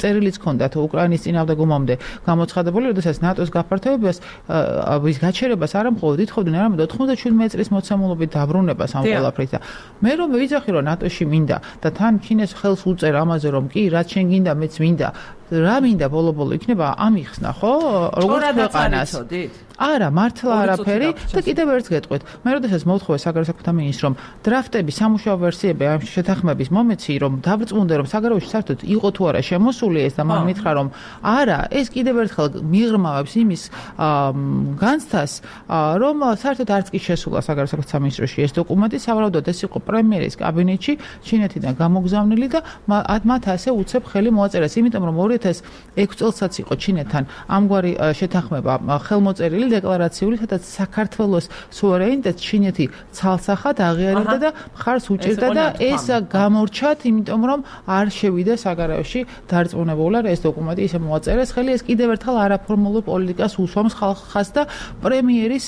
წერილიც ჰქონდათ უკრაინის წინააღმდეგ ომამდე გამოცხადებული, როდესაც ნატოს გაფართოებას ვის გაჩერებას არა მხოლოდ ითხოვდნენ, არამედ 97 წლის მოცემულობით დაბრუნებას ამ ყველაფრით და მე რომ ვიძახი რომ ნატოში მინდა და თან ჩინეთს ხელს უწერ ამაზე რომ კი რაც შენ გინდა მეც მინდა რა მინდა ბოლო-ბოლო იქნება ამიხსნა ხო როგორც ქვეყანას არა მართლა არაფერი და კიდევ ერთ გეტყვით მე როდესაც მოვთხოვე საგარეო საქმეთა მინისტრს რომ დრაფტები სამუშაო ვერსიები ამ შეთანხმების მომეცი რომ დავრწმუნდე რომ საგარეოში საერთოდ იყო თუ არა შემოსული ეს და მან მითხრა რომ არა ეს კიდევ ერთხელ მიღრმავებს იმის განცდას რომ საერთოდ არც კი შესულა საგარეო საქმეთა მინისტროში ეს დოკუმენტი სავარაუდოდ ეს იყო პრემიერის კაბინეტში ჩინეთიდან გამოგზავნილი და მათ ასე უცებ ხელი მოაწერეს იმიტომ რომ 2006 წელსაც იყო ჩინეთთან ამგვარი შეთანხმება ხელმოწერილი დეკლარაციული, სადაც საქართველოს სუვერენიტეტს ჩინეთი ცალსახად აღიარებდა და მხარს უჭერდა და ეს გამორჩათ, იმიტომ რომ არ შევიდა საგარეოში დარწმუნებულად ეს დოკუმენტი ისე მოაწერეს ხელი, ეს კიდევ ერთხელ არაფორმალურ პოლიტიკას უსვამს ხალხს და პრემიერის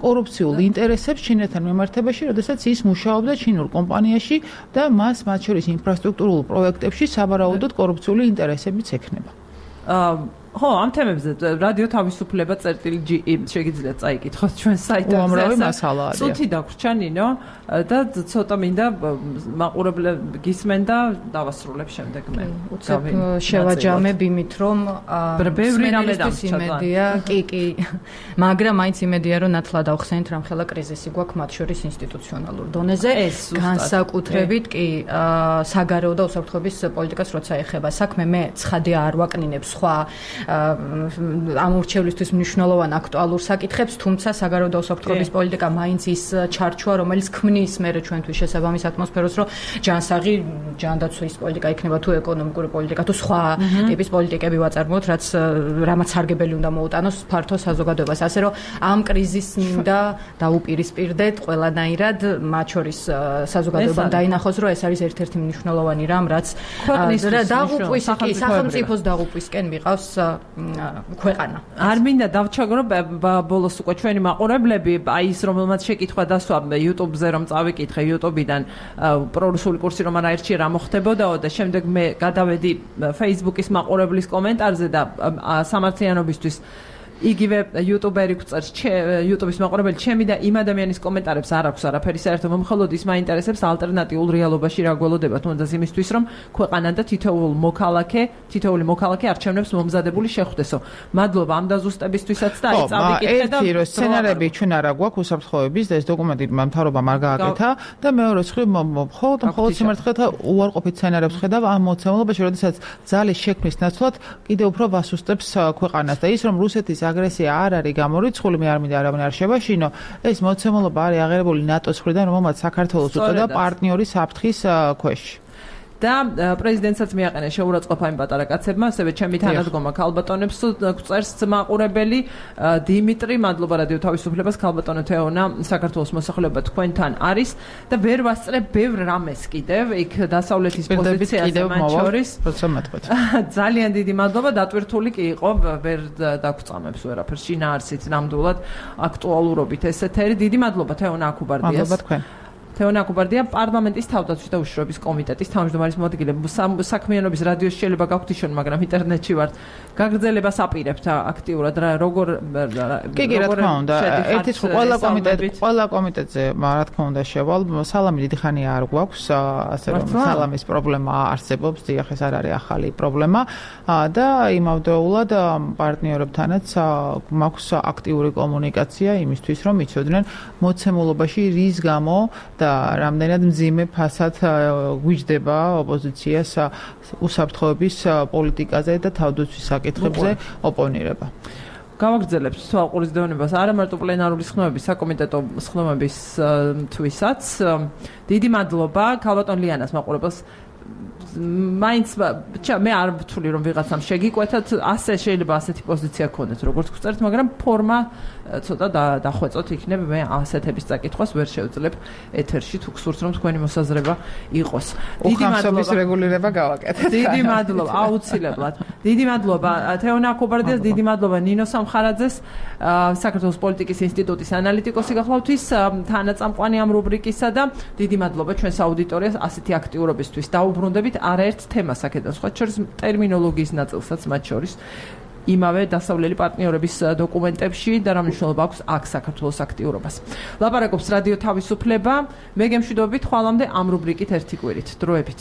კორუფციულ ინტერესებს ჩინეთთან მიმართებაში, როდესაც ის მუშაობდა ჩინურ კომპანიაში და მას მათ შორის ინფრასტრუქტურულ პროექტებში საბარაუდოდ კორუფციული ინტერესებიც ექნება. ხო, ამ თემებზე რადიო თავისუფლება წერტილი შეგიძლიათ წაიკითხოთ ჩვენ საიტზე. უამრავი მასალა არის. ცუთი დაგვრჩა ნინო და ცოტა მინდა მაყურებლები გისმენ და დავასრულებ შემდეგ მე. უცებ შევაჯამებ იმით რომ ბევრი რამე იმედია, კი, მაგრამ მაინც იმედია რომ ნათლად ავხსენით რამხელა კრიზისი გვაქვს მათ შორის ინსტიტუციონალურ დონეზე, განსაკუთრებით კი საგარეო და უსაფრთხოების პოლიტიკას როცა ეხება საქმე, მე ცხადია არ ვაკნინებ სხვა ამ ურჩევლისთვის მნიშვნელოვან აქტუალურ საკითხებს, თუმცა საგარეო და უსაფრთხოების პოლიტიკა მაინც ის ჩარჩოა, რომელიც ქმნის მერე ჩვენთვის შესაბამის ატმოსფეროს, რომ ჯანსაღი ჯანდაცვის პოლიტიკა იქნება თუ ეკონომიკური პოლიტიკა, თუ სხვა ტიპის პოლიტიკები ვაწარმოოთ, რამაც სარგებელი უნდა მოუტანოს ფართო საზოგადოებას. ასე რომ ამ კრიზისს მინდა დაუპირისპირდეთ ყველანაირად, მათ შორის საზოგადოებამ დაინახოს, რომ ეს არის ერთ-ერთი მნიშვნელოვანი რამ, რაც დაღუპვის სახელმწიფოს დაღუპვისკენ მიყავს ქვეყანა. არ მინდა დავჩაგრო ბოლოს უკვე ჩვენი მაყურებლები, აი ის რომელმაც შეკითხვა დასვა YouTube-ზე რომ წავიკითხე YouTube-დან პრორუსული კურსი რომ არ აირჩიე რა მოხდებოდაო და შემდეგ მე გადავედი Facebook-ის მაყურებლის კომენტარზე და სამართლიანობისთვის იგივე იუტუბერი გვწერს YouTube-ის მაყურებელი ჩემი და იმ ადამიანის კომენტარებს არ აქვს არაფერი საერთო მომხელოდ ის მაინტერესებს ალტერნატიულ რეალობაში რა გველოდება თუნდაც იმისთვის რომ ქვეყანა და თითოეული მოქალაქე არჩევნებს მომზადებული შეხვდესო. მადლობა ამ დაზუსტებისთვისაც და აი წავიკითხე და ერთი რომ სცენარები ჩვენ არა გვაქვს უსაფრთხოების და ეს დოკუმენტი მთავრობამ არ გააკეთა და მეორე მხრივ მხოლოდ სიმართლეთა უარყოფით სცენარებს ხედავ ამ მოცემულობაში, როდესაც ძალის შექმნის ნაცვლად კიდევ უფრო ვასუსტებს ქვეყანას და ის რომ რუსეთის აგრესია არ არის გამორიცხული, მე არ მინდა არავინ არ შევაშინო, ეს მოცემულობა არის აღერებული ნატოს მხრიდან, რომელმაც საქართველოს უწოდა პარტნიორი საფრთხის ქვეშ. და პრეზიდენტსაც მიაყენა შეურაცხყოფა იმ პატარა კაცებმა, ასევე ჩემი თანადგომა ქალბატონებს გვწერს მაყურებელი დიმიტრი, მადლობა რადიო თავისუფლებას, ქალბატონო თეონა, საქართველოს მოსახლეობა თქვენთან არის და ვერ ვასწრებ ბევრ რამეს კიდევ, იქ დასავლეთის პოზიციაზე მათ შორის. ძალიან დიდი მადლობა, დატვირთული კი იყო, ვერ დაგწამებს ვერაფერს, შინაარსით ნამდვილად აქტუალურობით ეს ეთერი. დიდი მადლობა თეონა აკუბარდიას. მადლობა თქვენ. თეონა აკუბარდია პარლამენტის თავდაცვის და უშიშროების კომიტეტის თავმჯდომარის მოადგილე. საქმიანობის რადიოს შეიძლება გაქვთ ისონ, მაგრამ ინტერნეტში ვართ. გაგრძელებას აპირებთ აქტიურად როგორ კი, რა თქმა უნდა. ერთის ყველა კომიტეტზე, რა თქმა უნდა, შევალ. სალამი დიდი ხანია არ გვაქვს, ასე რომ სალამის პრობლემა არსებობს, დიახ, ეს არ არის ახალი პრობლემა და იმავდროულად პარტნიორებთანაც მაქვს აქტიური კომუნიკაცია იმისთვის, რომ იცოდნენ მოცემულობაში რის გამო და რამდენად მძიმე ფასად გვიჯდება ოპოზიციას უსაფრთხოების პოლიტიკაზე და თავდაცვის საკითხებზე ოპონირება. გავაგრძელებთ თვალყურის დევნებას არა მარტო პლენარული სხდომების, საკომიტეტო სხდომების თვისაც. დიდი მადლობა ქალბატონ ლიანას მაყურებელს მაინც მე არ ვთვლი რომ ვიღაცამ შეგიკვეთათ ასე შეიძლება ასეთი პოზიცია გქონდეთ როგორც გწერთ მაგრამ ფორმა ცოტა დახვეწოთ იქნებ მე ასეთების წაკითხვას ვერ შევძლებ ეთერში თუ გსურთ რომ თქვენი მოსაზრება იყოს დიდი მადლობა რეგულირება გავაკეთეთ დიდი მადლობა აუცილებლად დიდი მადლობა თეონა კობარდიას დიდი მადლობა ნინო სამხარაძეს საქართველოს პოლიტიკის ინსტიტუტის ანალიტიკოსი გახლავთ ის თანაწამყვანი ამ რუბრიკისა და დიდი მადლობა ჩვენს აუდიტორიას ასეთი აქტიურობისთვის დაუბრუნდებით არაერთ თემას აქედან სხვა შორის ტერმინოლოგიის ნაწილსაც მათ შორის იმავე დასავლელი პარტნიორების დოკუმენტებში და რა მნიშვნელობა აქვს აქ საქართველოს აქტიურობას. ლაპარაკობს რადიო თავისუფლება. მე გემშვიდობებით ხვალამდე ამ რუბრიკით ერთი კვირით. დროებით.